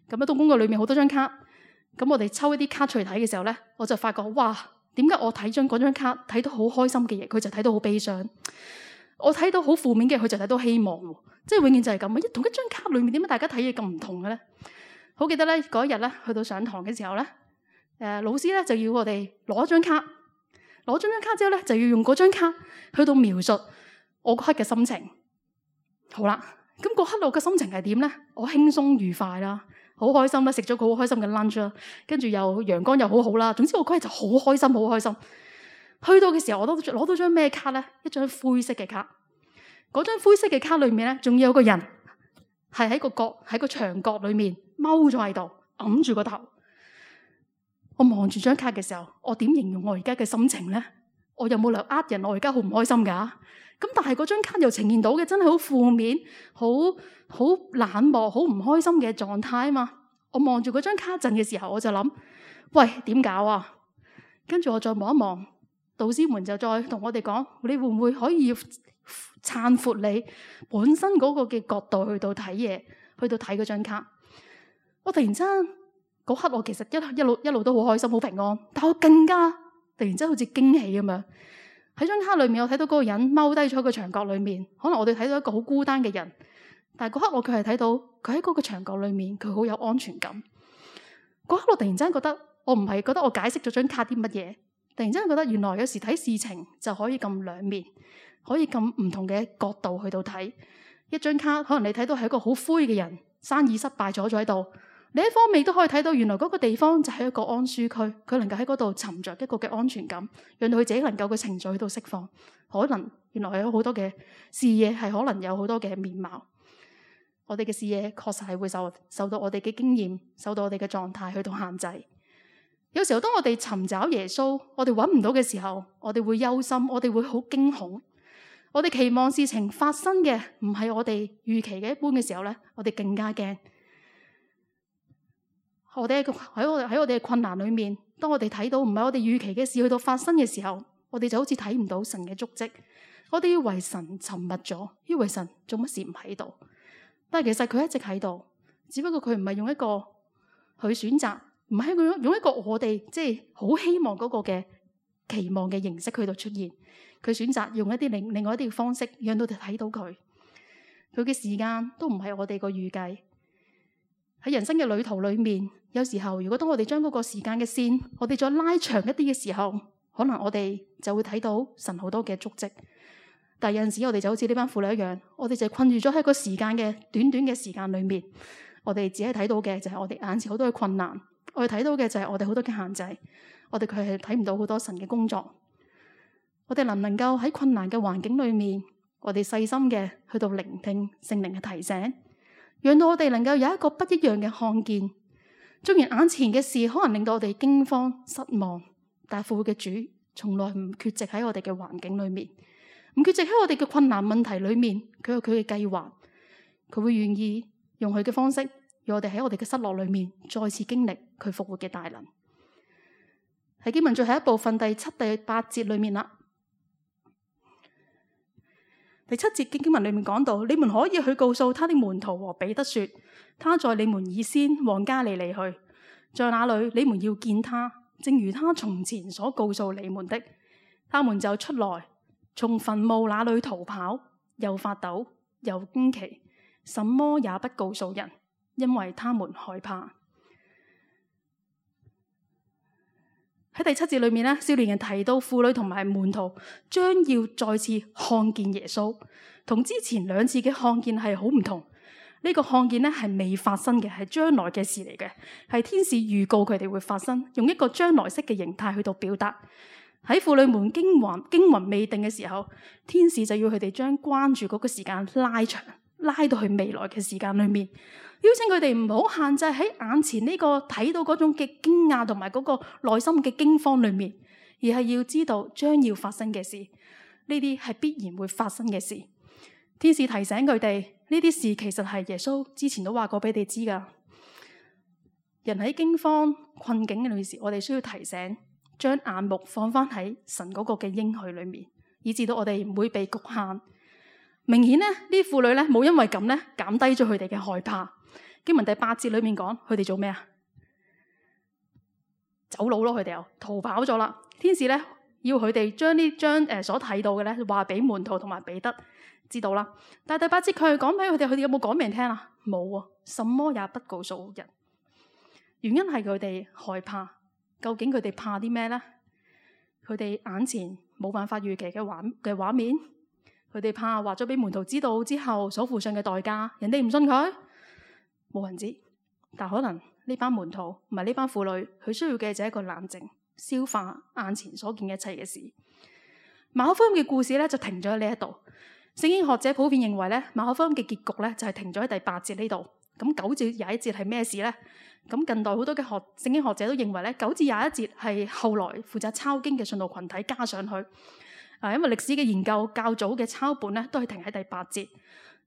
咁一套工具裏面好多張卡，咁我哋抽一啲卡出嚟睇嘅時候咧，我就發覺哇，點解我睇張嗰張卡睇到好開心嘅嘢，佢就睇到好悲傷；我睇到好負面嘅，佢就睇到希望。即係永遠就係咁啊！一同一張卡裏面，點解大家睇嘢咁唔同嘅咧？好記得咧，嗰一日咧去到上堂嘅時候咧，誒、呃、老師咧就要我哋攞張卡。攞咗張卡之後咧，就要用嗰張卡去到描述我嗰刻嘅心情。好啦，咁嗰刻我嘅心情係點咧？我輕鬆愉快啦，好開心啦，食咗個好開心嘅 lunch 啦，跟住又陽光又好好啦。總之我嗰日就好開心，好開心。去到嘅時候，我都攞到張咩卡咧？一張灰色嘅卡。嗰張灰色嘅卡裏面咧，仲有個人係喺個角喺個牆角裏面踎咗喺度，揞住個頭。我望住張卡嘅時候，我點形容我而家嘅心情咧？我有冇理由呃人？我而家好唔開心噶？咁但係嗰張卡又呈現到嘅真係好負面、好好冷漠、好唔開心嘅狀態啊嘛！我望住嗰張卡陣嘅時候，我就諗：喂，點搞啊？跟住我再望一望，導師們就再同我哋講：你會唔會可以撐闊你本身嗰個嘅角度去到睇嘢，去到睇嗰張卡？我突然間。嗰刻我其實一一路一路都好開心好平安，但我更加突然之間好似驚喜咁樣。喺張卡裏面，我睇到嗰個人踎低咗喺個牆角裏面，可能我哋睇到一個好孤單嘅人，但係嗰刻我卻係睇到佢喺嗰個牆角裏面，佢好有安全感。嗰刻我突然間覺得，我唔係覺得我解釋咗張卡啲乜嘢，突然間覺得原來有時睇事情就可以咁兩面，可以咁唔同嘅角度去到睇一張卡。可能你睇到係一個好灰嘅人，生意失敗咗咗喺度。另一方面都可以睇到，原來嗰個地方就係一個安舒區，佢能夠喺嗰度尋着一個嘅安全感，讓到佢自己能夠嘅情緒去到釋放。可能原來係有好多嘅視野，係可能有好多嘅面貌。我哋嘅視野確實係會受受到我哋嘅經驗，受到我哋嘅狀態去到限制。有時候當我哋尋找耶穌，我哋揾唔到嘅時候，我哋會憂心，我哋會好驚恐。我哋期望事情發生嘅唔係我哋預期嘅一般嘅時候咧，我哋更加驚。我哋喺我哋喺我哋嘅困難裏面，當我哋睇到唔係我哋預期嘅事去到發生嘅時候，我哋就好似睇唔到神嘅足跡。我哋以為神沉默咗，以為神做乜事唔喺度，但係其實佢一直喺度，只不過佢唔係用一個佢選擇，唔係用用一個我哋即係好希望嗰個嘅期望嘅形式去到出現。佢選擇用一啲另另外一啲嘅方式，讓到我哋睇到佢。佢嘅時間都唔係我哋個預計。喺人生嘅旅途裏面，有時候如果當我哋將嗰個時間嘅線，我哋再拉長一啲嘅時候，可能我哋就會睇到神好多嘅足跡。但係有陣時我哋就好似呢班婦女一樣，我哋就困住咗喺個時間嘅短短嘅時間裏面，我哋只係睇到嘅就係我哋眼前好多嘅困難，我哋睇到嘅就係我哋好多嘅限制，我哋佢係睇唔到好多神嘅工作。我哋能唔能夠喺困難嘅環境裏面，我哋細心嘅去到聆聽聖靈嘅提醒，讓到我哋能夠有一個不一樣嘅看見。雖然眼前嘅事可能令到我哋驚慌失望，但係復活嘅主從來唔缺席喺我哋嘅環境裏面，唔缺席喺我哋嘅困難問題裏面。佢有佢嘅計劃，佢會願意用佢嘅方式，讓我哋喺我哋嘅失落裏面再次經歷佢復活嘅大能。喺經文最後一部分第七、第八節裏面啦。第七節經文裏面講到，你們可以去告訴他的門徒和彼得說，他在你們以先往加利利去，在那裏你們要見他，正如他從前所告訴你們的。他們就出來，從墳墓那裏逃跑，又發抖，又驚奇，什麼也不告訴人，因為他們害怕。喺第七節裏面咧，少年人提到婦女同埋門徒將要再次看見耶穌，同之前兩次嘅看見係好唔同。呢個看見咧係未發生嘅，係將來嘅事嚟嘅，係天使預告佢哋會發生，用一個將來式嘅形態去到表達。喺婦女們驚魂驚魂未定嘅時候，天使就要佢哋將關注嗰個時間拉長，拉到去未來嘅時間裏面。邀請佢哋唔好限制喺眼前呢個睇到嗰種嘅驚訝同埋嗰個內心嘅驚慌裏面，而係要知道將要發生嘅事，呢啲係必然會發生嘅事。天使提醒佢哋，呢啲事其實係耶穌之前都話過俾你知噶。人喺驚慌困境嘅時，我哋需要提醒，將眼目放翻喺神嗰個嘅應許裏面，以至到我哋唔會被局限。明顯呢，呢啲婦女咧冇因為咁咧減低咗佢哋嘅害怕。經文第八節裏面講，佢哋做咩啊？走佬咯，佢哋又逃跑咗啦。天使咧要佢哋將呢張誒所睇到嘅咧話俾門徒同埋彼得知道啦。但係第八節佢係講俾佢哋，佢哋有冇講俾人聽啊？冇啊，什麼也不告訴人。原因係佢哋害怕。究竟佢哋怕啲咩咧？佢哋眼前冇辦法預期嘅畫嘅畫面，佢哋怕話咗俾門徒知道之後所付上嘅代價，人哋唔信佢。冇人知，但可能呢班門徒唔係呢班婦女，佢需要嘅就係一個冷靜，消化眼前所見一切嘅事。馬可福音嘅故事咧就停咗喺呢一度。聖經學者普遍認為咧，馬可福音嘅結局咧就係停咗喺第八節呢度。咁九至廿一節係咩事咧？咁近代好多嘅學聖經學者都認為咧，九至廿一節係後來負責抄經嘅信徒群體加上去。啊，因為歷史嘅研究較早嘅抄本咧都係停喺第八節。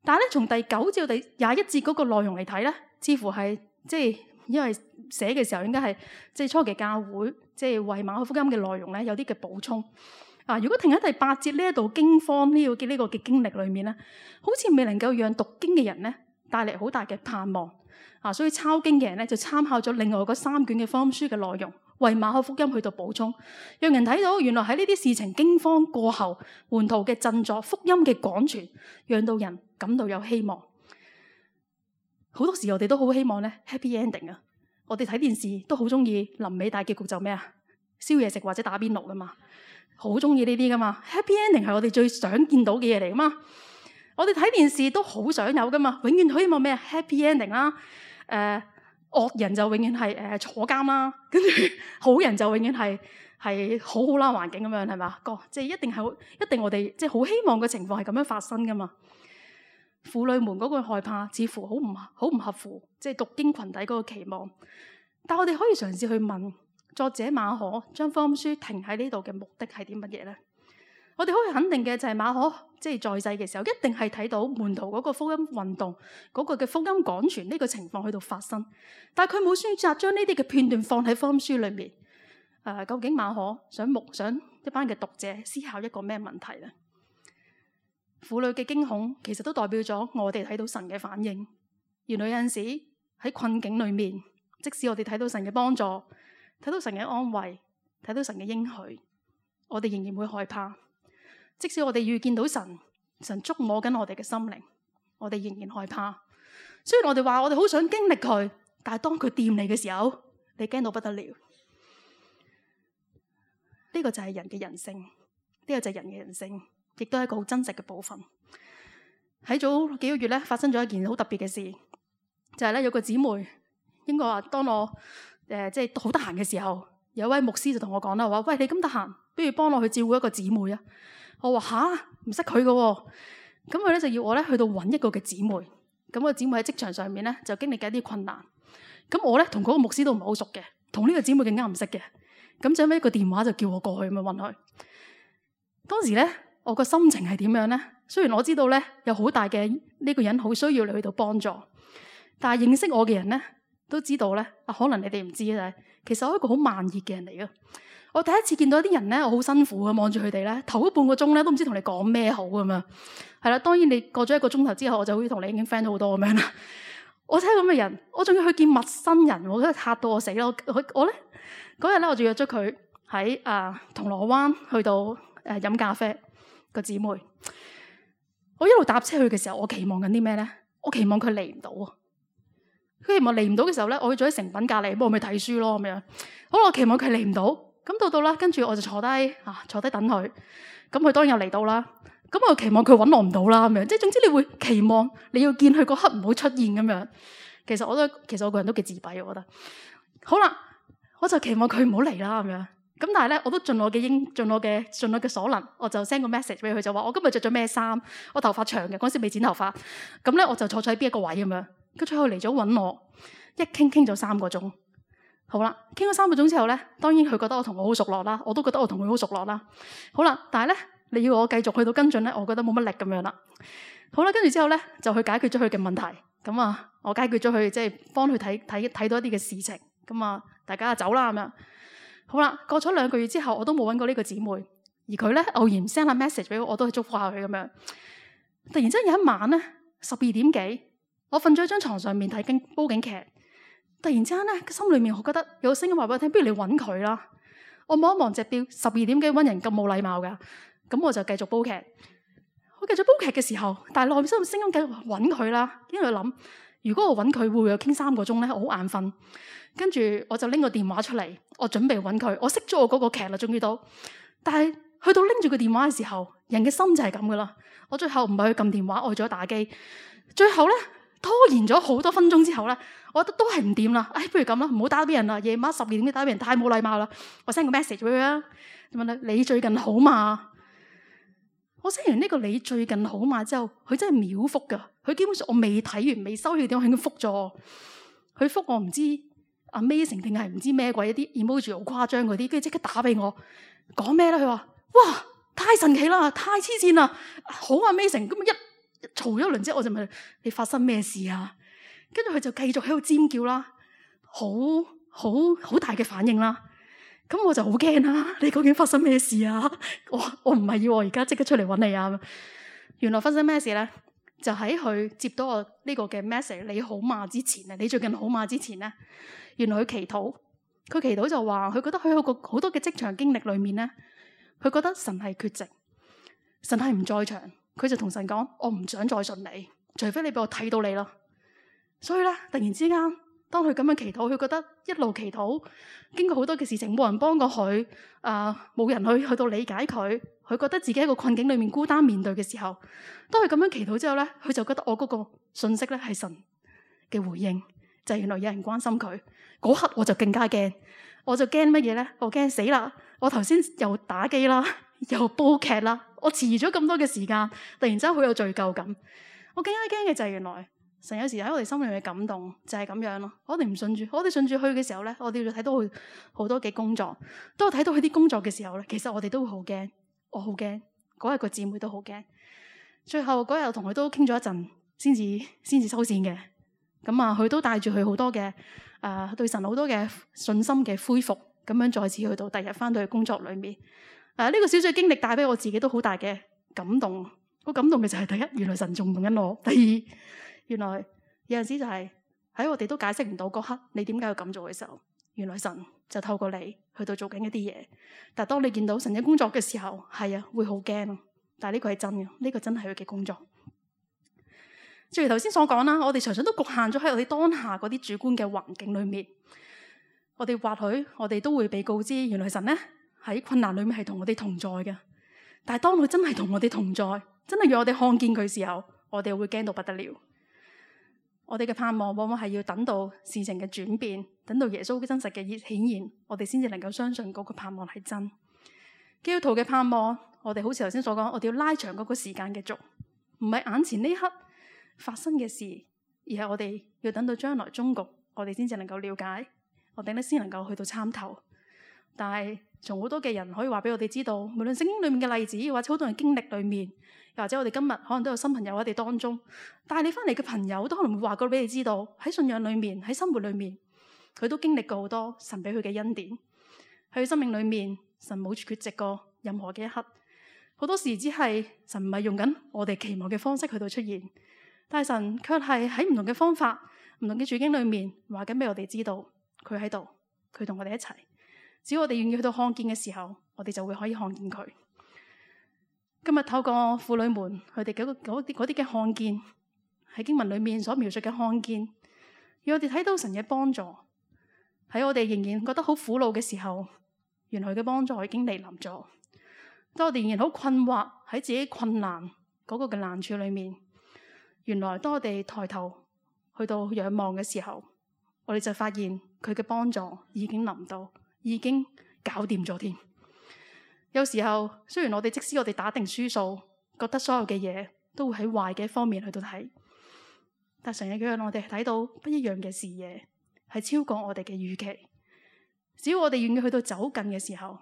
但係咧，從第九至到第廿一節嗰個內容嚟睇咧，似乎係即係因為寫嘅時候應該係即係初期教會即係為馬可福音嘅內容咧有啲嘅補充。啊，如果停喺第八節呢一度驚慌呢個嘅呢個嘅經歷裏面咧，好似未能夠讓讀經嘅人咧帶嚟好大嘅盼望。啊，所以抄經嘅人咧就參考咗另外嗰三卷嘅福音書嘅內容，為馬可福音去到補充，讓人睇到原來喺呢啲事情驚慌過後，門徒嘅振作、福音嘅廣傳，讓到人感到有希望。好多時我哋都好希望咧 happy ending 啊！我哋睇電視都好中意臨尾大結局就咩啊？燒嘢食或者打邊爐噶嘛，好中意呢啲噶嘛。happy ending 係我哋最想見到嘅嘢嚟噶嘛。我哋睇電視都好想有噶嘛，永遠希望咩 happy ending 啦。誒、呃、惡人就永遠係誒、呃、坐監啦，跟住好人就永遠係係好好啦環境咁樣係嘛？個即係一定係一定我哋即係好希望嘅情況係咁樣發生噶嘛。婦女們嗰個害怕似乎好唔好唔合乎即係讀經群體嗰個期望，但我哋可以嘗試去問作者馬可將福音書停喺呢度嘅目的係啲乜嘢咧？我哋可以肯定嘅就係馬可即係在世嘅時候，一定係睇到門徒嗰個福音運動嗰個嘅福音廣傳呢個情況喺度發生，但係佢冇選擇將呢啲嘅片段放喺福音書裏面。誒、呃，究竟馬可想目想一班嘅讀者思考一個咩問題咧？婦女嘅驚恐其實都代表咗我哋睇到神嘅反應。原來有陣時喺困境裏面，即使我哋睇到神嘅幫助，睇到神嘅安慰，睇到神嘅應許，我哋仍然會害怕。即使我哋遇見到神，神觸摸緊我哋嘅心靈，我哋仍然害怕。雖然我哋話我哋好想經歷佢，但係當佢掂你嘅時候，你驚到不得了。呢個就係人嘅人性，呢個就係人嘅人性，亦都係一個好真實嘅部分。喺早幾個月咧，發生咗一件好特別嘅事，就係咧有個姊妹，應該話當我誒即係好得閒嘅時候，有位牧師就同我講啦，話喂，你咁得閒，不如幫我去照顧一個姊妹啊！我話吓，唔識佢嘅喎，咁佢咧就要我咧去到揾一個嘅姊妹，咁個姊妹喺職場上面咧就經歷緊一啲困難，咁我咧同嗰個牧師都唔係好熟嘅，同呢個姊妹更加唔識嘅，咁就咁一個電話就叫我過去咁樣揾佢。當時咧我個心情係點樣咧？雖然我知道咧有好大嘅呢個人好需要你去到幫助，但係認識我嘅人咧都知道咧，啊可能你哋唔知咧，其實我係一個好慢熱嘅人嚟嘅。我第一次見到一啲人咧，我好辛苦嘅望住佢哋咧，頭嗰半個鐘咧都唔知同你講咩好咁樣。係啦，當然你過咗一個鐘頭之後，我就好似同你已經 friend 好多咁樣啦。我睇咁嘅人，我仲要去見陌生人，我真係嚇到我死咯！我我咧嗰日咧，我就約咗佢喺啊銅鑼灣去到誒飲、呃、咖啡個姊妹。我一路搭車去嘅時候，我期望緊啲咩咧？我期望佢嚟唔到啊！佢期望嚟唔到嘅時候咧，我去咗喺誠品隔離，幫我咪睇書咯咁樣。好啦，我期望佢嚟唔到。咁到到啦，跟住我就坐低啊，坐低等佢。咁佢當然又嚟到啦。咁我期望佢揾我唔到啦，咁樣即係總之你會期望你要見佢嗰刻唔好出現咁樣。其實我都其實我個人都幾自閉，我覺得。好啦，我就期望佢唔好嚟啦，咁樣。咁但係咧，我都盡我嘅應盡我嘅盡我嘅所能，我就 send 個 message 俾佢，就話我今日着咗咩衫，我頭髮長嘅，嗰時未剪頭髮。咁咧我就坐咗喺邊一個位咁樣。跟住佢嚟咗揾我，一傾傾咗三個鐘。好啦，傾咗三個鐘之後咧，當然佢覺得我同我好熟絡啦，我都覺得我同佢好熟絡啦。好啦，但係咧，你要我繼續去到跟進咧，我覺得冇乜力咁樣啦。好啦，跟住之後咧，就去解決咗佢嘅問題。咁啊，我解決咗佢，即係幫佢睇睇睇到一啲嘅事情。咁啊，大家就走啦咁樣。好啦，過咗兩個月之後，我都冇揾過呢個姊妹，而佢咧偶然 send 下 message 俾我，我都去祝福下佢咁樣。突然之間有一晚咧，十二點幾，我瞓咗喺張床上面睇緊煲緊劇。突然之間咧，心裏面我覺得有個聲音話俾我聽，不如你揾佢啦。我望一望隻錶，十二點幾揾人咁冇禮貌噶，咁我就繼續煲劇。我繼續煲劇嘅時候，但係內心嘅聲音繼續揾佢啦。因為諗，如果我揾佢，會唔會又傾三個鐘咧？我好眼瞓。跟住我就拎個電話出嚟，我準備揾佢。我熄咗我嗰個劇啦，終於到。但係去到拎住個電話嘅時候，人嘅心就係咁噶啦。我最後唔係去撳電話，我去咗打機。最後咧，拖延咗好多分鐘之後咧，我覺得都係唔掂啦。唉，不如咁啦，唔好打俾人啦。夜晚十二點幾打俾人，太冇禮貌啦。我 send 個 message 俾佢啊，問佢你最近好嘛？我 send 完呢個你最近好嘛之後，佢真係秒覆噶。佢基本上我未睇完未收佢電話，佢已經覆咗。佢覆我唔知 amazing 定係唔知咩鬼一啲 emoji 好誇張嗰啲，跟住即刻打俾我講咩咧？佢話哇太神奇啦，太黐線啦，好 amazing。咁一嘈咗一輪之後，我就問你發生咩事啊？跟住佢就繼續喺度尖叫啦，好好好大嘅反應啦。咁我就好驚啦！你究竟發生咩事啊？我我唔係要我而家即刻出嚟揾你啊！原來發生咩事咧？就喺佢接到我呢個嘅 message 你好嘛之前啊，你最近好嘛之前咧，原來佢祈禱，佢祈禱就話佢覺得佢有個好多嘅職場經歷裏面咧，佢覺得神係缺席，神係唔在場，佢就同神講：我唔想再信你，除非你俾我睇到你啦。所以咧，突然之間，當佢咁樣祈禱，佢覺得一路祈禱，經過好多嘅事情，冇人幫過佢，啊、呃，冇人去去到理解佢，佢覺得自己喺個困境裏面孤單面對嘅時候，當佢咁樣祈禱之後咧，佢就覺得我嗰個信息咧係神嘅回應，就係、是、原來有人關心佢。嗰刻我就更加驚，我就驚乜嘢咧？我驚死啦！我頭先又打機啦，又煲劇啦，我遲咗咁多嘅時間，突然之間好有罪疚感。我更加驚嘅就係原來。神有時喺我哋心裏面嘅感動就係咁樣咯。我哋唔信住，我哋信住去嘅時候咧，我哋就睇到佢好多嘅工作。當我睇到佢啲工作嘅時候咧，其實我哋都會好驚，我好驚，嗰日個姊妹都好驚。最後嗰日我同佢都傾咗一陣，先至先至收線嘅。咁啊，佢都帶住佢好多嘅誒、呃、對神好多嘅信心嘅恢復，咁樣再次去到第日翻到去工作裏面。誒、呃、呢、這個小小經歷帶俾我自己都好大嘅感動。好感動嘅就係第一，原來神仲用緊我；第二，原來有陣時就係喺我哋都解釋唔到嗰刻你點解要咁做嘅時候，原來神就透過你去到做緊一啲嘢。但係當你見到神嘅工作嘅時候，係啊，會好驚咯。但係呢個係真嘅，呢、這個真係佢嘅工作。正如頭先所講啦，我哋常常都局限咗喺我哋當下嗰啲主觀嘅環境裏面。我哋或許我哋都會被告知，原來神咧喺困難裏面係同我哋同在嘅。但係當佢真係同我哋同在，真係讓我哋看見佢嘅時候，我哋會驚到不得了。我哋嘅盼望往往係要等到事情嘅轉變，等到耶穌嘅真實嘅顯現，我哋先至能夠相信嗰個盼望係真。基督徒嘅盼望，我哋好似頭先所講，我哋要拉長嗰個時間嘅軸，唔係眼前呢刻發生嘅事，而係我哋要等到將來終局，我哋先至能夠了解，我哋咧先能夠去到參透。但係從好多嘅人可以話俾我哋知道，無論聖經裏面嘅例子，或者好多人經歷裏面，又或者我哋今日可能都有新朋友喺我哋當中，帶你翻嚟嘅朋友都可能會話過俾你知道，喺信仰裏面，喺生活裏面，佢都經歷過好多神俾佢嘅恩典。喺佢生命裏面，神冇缺席過任何嘅一刻。好多時只係神唔係用緊我哋期望嘅方式去到出現，但係神卻係喺唔同嘅方法、唔同嘅處境裏面話緊俾我哋知道，佢喺度，佢同我哋一齊。只要我哋願意去到看見嘅時候，我哋就會可以看見佢。今日透過婦女們佢哋嗰啲嗰啲嘅看見，喺經文裏面所描述嘅看見，讓我哋睇到神嘅幫助。喺我哋仍然覺得好苦惱嘅時候，原來佢嘅幫助已經嚟臨咗。當我哋仍然好困惑喺自己困難嗰個嘅難處裏面，原來當我哋抬頭去到仰望嘅時候，我哋就發現佢嘅幫助已經臨到，已經搞掂咗添。有時候雖然我哋即使我哋打定輸數，覺得所有嘅嘢都會喺壞嘅一方面去到睇，但神嘅讓我哋睇到不一樣嘅視野，係超過我哋嘅預期。只要我哋願意去到走近嘅時候，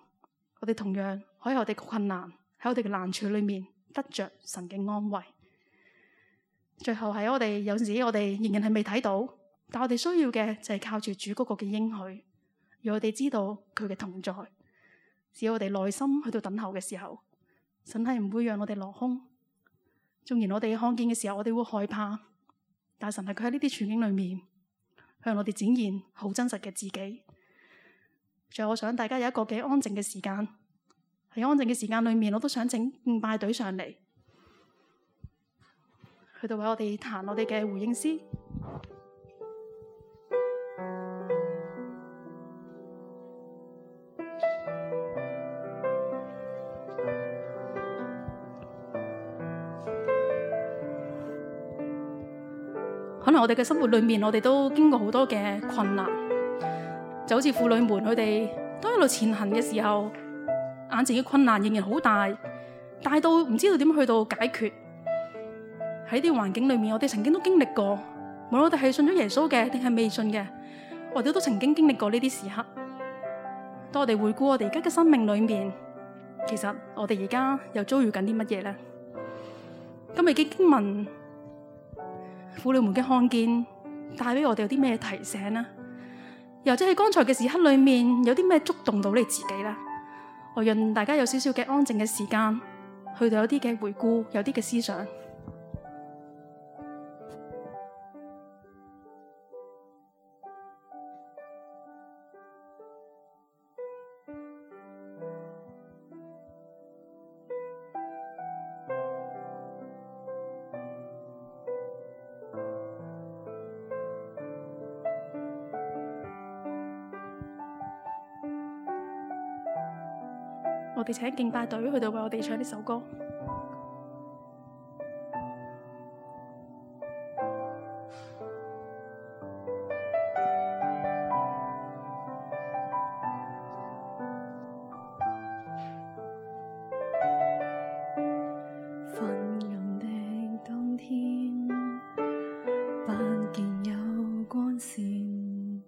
我哋同樣可以喺我哋嘅困難，喺我哋嘅難處裏面得着神嘅安慰。最後喺我哋有陣時我哋仍然係未睇到，但我哋需要嘅就係靠住主嗰個嘅應許，讓我哋知道佢嘅同在。只要我哋耐心去到等候嘅時候，神係唔會讓我哋落空。縱然我哋看見嘅時候，我哋會害怕，但神係佢喺呢啲處境裏面向我哋展現好真實嘅自己。最後我想大家有一個嘅安靜嘅時間，喺安靜嘅時間裏面，我都想請敬拜隊上嚟，去到為我哋彈我哋嘅回應詩。可能我哋嘅生活裏面，我哋都經過好多嘅困難，就好似婦女們佢哋都一路前行嘅時候，眼前嘅困難仍然好大，大到唔知道點去到解決。喺呢啲環境裏面，我哋曾經都經歷過，無論我哋係信咗耶穌嘅定係未信嘅，我哋都曾經經歷過呢啲時刻。當我哋回顧我哋而家嘅生命裏面，其實我哋而家又遭遇緊啲乜嘢呢？今日嘅經文，婦女們嘅看見帶俾我哋有啲咩提醒呢？又或者喺剛才嘅時刻裏面有啲咩觸動到你自己呢？我讓大家有少少嘅安靜嘅時間，去到有啲嘅回顧，有啲嘅思想。我哋請敬拜隊去到為我哋唱呢首歌。昏暗的冬天，不見有光線，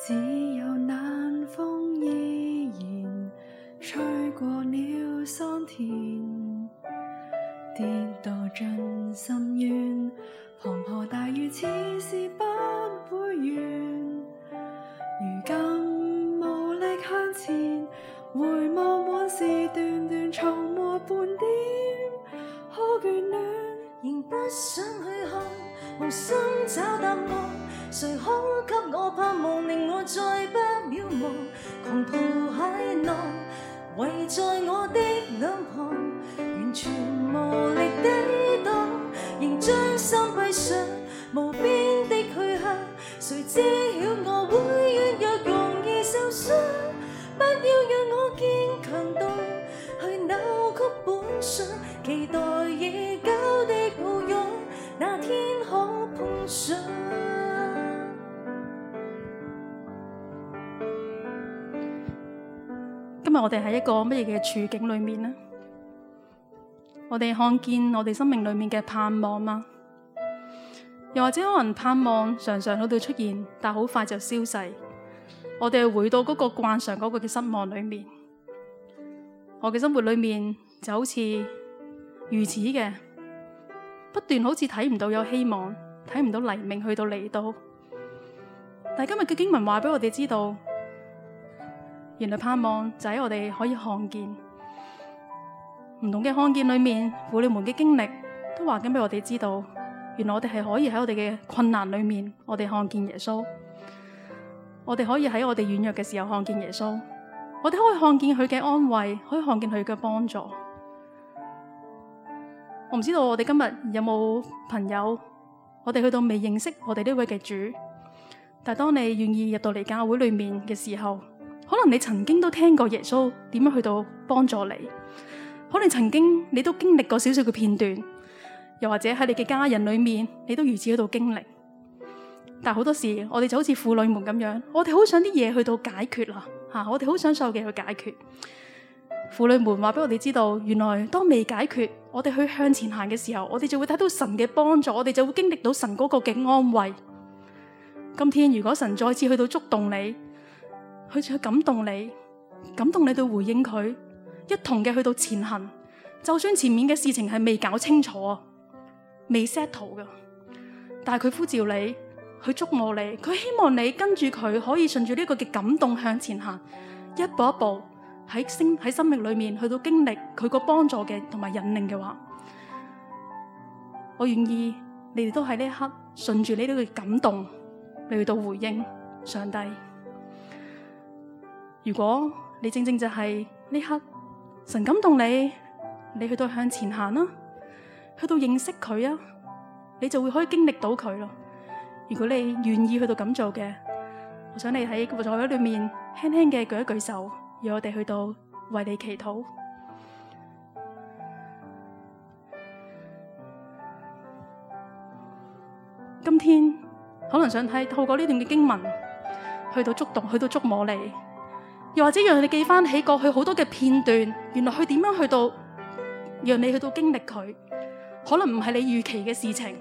只有冷風依然吹過了桑田，跌墮進深淵，滂沱大雨似是不會完。如今無力向前，回望往事段段，從沒半點可眷戀。仍不想去看，無心找答案，誰可給我盼望，令我再不渺茫。狂濤駭浪圍在我的兩旁，完全無力抵擋，仍將心閉上，無邊的去向，誰知曉我會軟弱，容易受傷。不要讓我堅強到去扭曲本相，期待已久的抱擁，那天可碰上。今日我哋喺一個乜嘢嘅處境裏面呢？我哋看見我哋生命裏面嘅盼望嗎？又或者可能盼望常常喺度出現，但好快就消逝。我哋回到嗰個慣常嗰個嘅失望裏面。我嘅生活裏面就好似如此嘅，不斷好似睇唔到有希望，睇唔到黎明去到嚟到。但係今日嘅經文話俾我哋知道，原來盼望就喺我哋可以看見。唔同嘅看見裏面，婦女們嘅經歷都話緊俾我哋知道，原來我哋係可以喺我哋嘅困難裏面，我哋看見耶穌。我哋可以喺我哋軟弱嘅時候看見耶穌，我哋可以看見佢嘅安慰，可以看見佢嘅幫助。我唔知道我哋今日有冇朋友，我哋去到未認識我哋呢位嘅主，但係當你願意入到嚟教會裏面嘅時候，可能你曾經都聽過耶穌點樣去到幫助你，可能曾經你都經歷過少少嘅片段，又或者喺你嘅家人裏面，你都如此喺度經歷。但好多時，我哋就好似婦女們咁樣，我哋好想啲嘢去到解決啦，吓，我哋好想所有嘅去解決。婦女們話俾我哋知道，原來當未解決，我哋去向前行嘅時候，我哋就會睇到神嘅幫助，我哋就會經歷到神嗰個嘅安慰。今天如果神再次去到觸動你，去去感動你，感動你到回應佢，一同嘅去到前行，就算前面嘅事情係未搞清楚、未 settle 嘅，但係佢呼召你。佢觸摸你，佢希望你跟住佢可以順住呢個嘅感動向前行，一步一步喺生喺生命裏面去到經歷佢個幫助嘅同埋引領嘅話，我願意你哋都喺呢一刻順住呢啲嘅感動嚟去到回應上帝。如果你正正就係呢刻神感動你，你去到向前行啦，去到認識佢啊，你就會可以經歷到佢咯。如果你願意去到咁做嘅，我想你喺個座位裏面輕輕嘅舉一舉手，讓我哋去到為你祈禱。今天可能想睇透過呢段嘅經文，去到觸動，去到觸摸你，又或者讓你記翻起過去好多嘅片段，原來佢點樣去到，讓你去到經歷佢，可能唔係你預期嘅事情。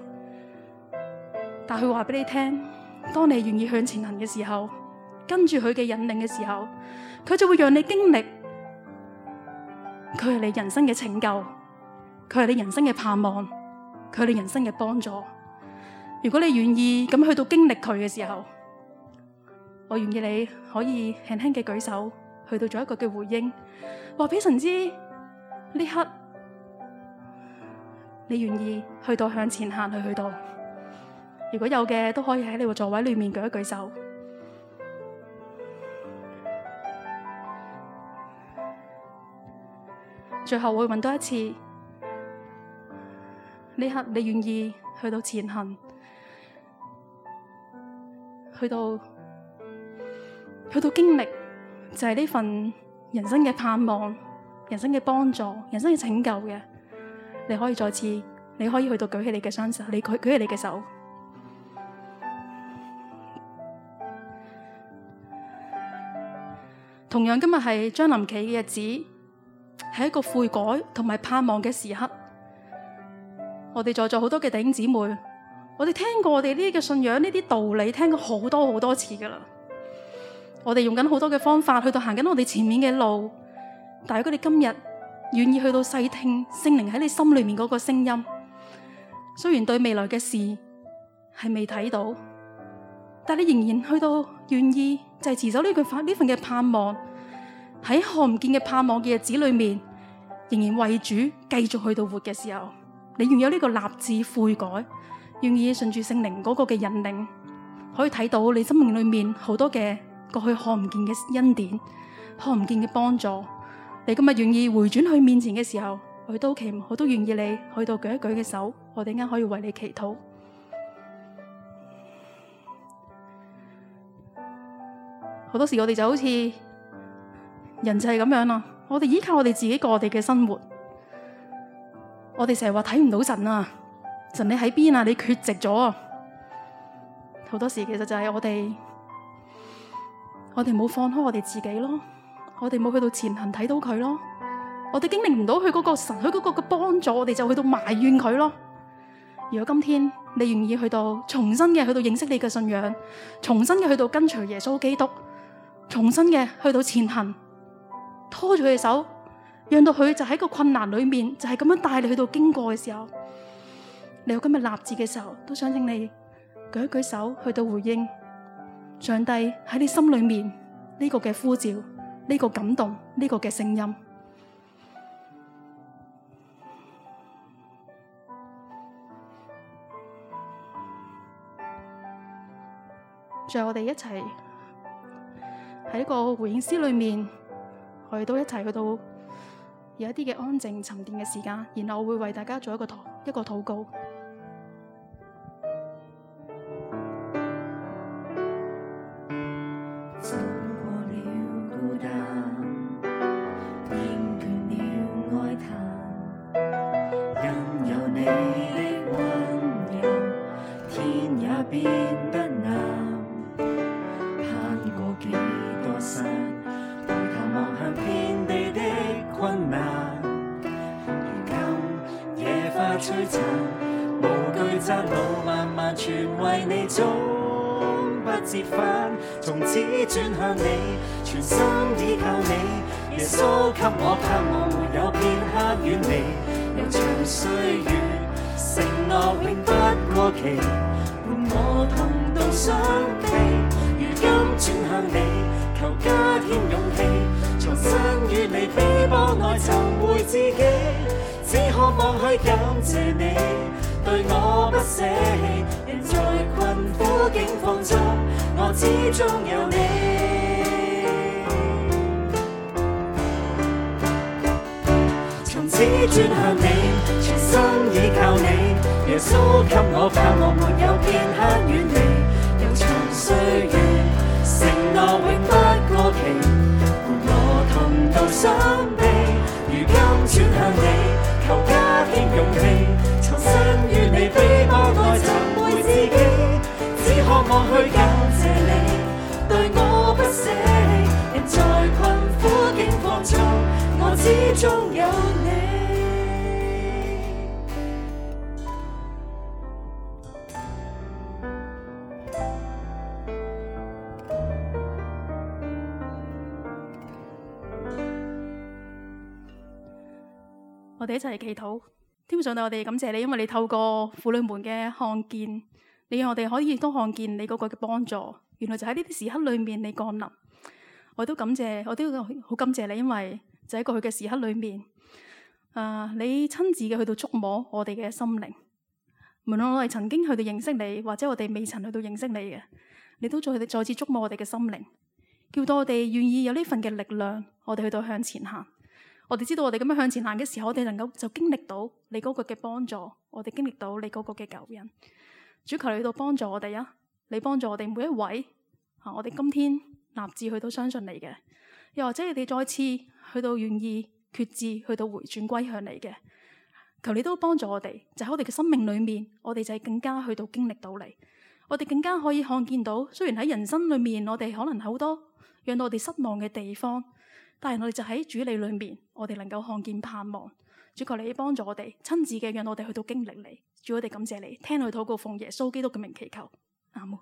但佢話俾你聽，當你願意向前行嘅時候，跟住佢嘅引領嘅時候，佢就會讓你經歷，佢係你人生嘅拯救，佢係你人生嘅盼望，佢係你人生嘅幫助。如果你願意咁去到經歷佢嘅時候，我願意你可以輕輕嘅舉手，去到做一個嘅回應，話俾神知呢刻你願意去到向前行去去到。如果有嘅，都可以喺你個座位裏面舉一舉手。最後我會問多一次，呢刻你願意去到前行，去到去到經歷，就係呢份人生嘅盼望、人生嘅幫助、人生嘅拯救嘅，你可以再次，你可以去到舉起你嘅雙手，你舉舉起你嘅手。同樣今日係將臨期嘅日子，係一個悔改同埋盼望嘅時刻。我哋在座好多嘅弟兄姊妹，我哋聽過我哋呢啲嘅信仰，呢啲道理聽過好多好多次噶啦。我哋用緊好多嘅方法去到行緊我哋前面嘅路，但係如果你今日願意去到細聽聖靈喺你心裏面嗰個聲音。雖然對未來嘅事係未睇到，但你仍然去到願意就係持守呢句呢份嘅盼望，喺看唔見嘅盼望嘅日子裏面，仍然為主繼續去到活嘅時候，你願有呢個立志悔改，願意順住聖靈嗰個嘅引領，可以睇到你生命裏面好多嘅過去看唔見嘅恩典，看唔見嘅幫助。你今日願意回轉去面前嘅時候，我都期，我都願意你去到舉一舉嘅手，我哋啱可以為你祈禱。好多時我哋就好似人就係咁樣啦，我哋依靠我哋自己過我哋嘅生活，我哋成日話睇唔到神啊，神你喺邊啊？你缺席咗啊！好多時其實就係我哋，我哋冇放開我哋自己咯，我哋冇去到前行睇到佢咯，我哋經歷唔到佢嗰個神，佢嗰個嘅幫助，我哋就去到埋怨佢咯。如果今天你願意去到重新嘅去到認識你嘅信仰，重新嘅去到跟隨耶穌基督，重新嘅去到前行，拖住佢嘅手，讓到佢就喺個困難裏面，就係咁樣帶你去到經過嘅時候，你有今日立志嘅時候，都想請你舉一舉手去到回應上帝喺你心裏面呢個嘅呼召，呢個感動，呢個嘅聲音。最後我哋一齊喺一個回應詩裏面，我哋都一齊去到有一啲嘅安靜沉澱嘅時間，然後我會為大家做一個禱一個禱告。走過了孤單，厭倦了哀嘆，因有你的溫柔，天也變得藍。攀過幾多山，回頭望向遍地的困難。如今野花璀璨，無懼窄路漫漫，全為你終不折返。從此轉向你，全心依靠你。耶穌給我盼望，沒有片刻遠離。悠長歲月，承諾永不過期，伴我同渡雙臂。如今轉向你，求加添勇氣，重新與你比搏愛尋回自己。只渴望去感謝你對我不捨棄，人在困苦境況中，我始終有你。從此轉向你，全心依靠你。耶穌給我盼望，沒有片刻遠離。悠長歲月，承諾永不過期，伴我同渡雙臂。如今轉向你，求加添勇氣，重新與你比搏愛尋回自己。只渴望去感謝你對我不捨棄，人在困苦境況中，我始終有你。我哋一齊嚟祈禱。天父上帝，我哋感謝你，因為你透過婦女們嘅看見，你讓我哋可以都看見你嗰個嘅幫助。原來就喺呢啲時刻裏面，你降臨。我都感謝，我都好感謝你，因為就喺過去嘅時刻裏面，啊，你親自嘅去到觸摸我哋嘅心靈。無論我哋曾經去到認識你，或者我哋未曾去到認識你嘅，你都再再次觸摸我哋嘅心靈，叫到我哋願意有呢份嘅力量，我哋去到向前行。我哋知道我哋咁樣向前行嘅時候，我哋能夠就經歷到你嗰個嘅幫助，我哋經歷到你嗰個嘅救恩。主求你去到幫助我哋啊！你幫助我哋每一位啊！我哋今天立志去到相信你嘅，又或者你哋再次去到願意決志去到回轉歸向你嘅，求你都幫助我哋，就喺我哋嘅生命裏面，我哋就係更加去到經歷到你，我哋更加可以看見到，雖然喺人生裏面我哋可能好多讓到我哋失望嘅地方。但係我哋就喺主你裏面，我哋能夠看見盼望。主求你幫助我哋，親自嘅讓我哋去到經歷你。主，我哋感謝你，聽佢禱告，奉耶穌基督嘅名祈求，阿門。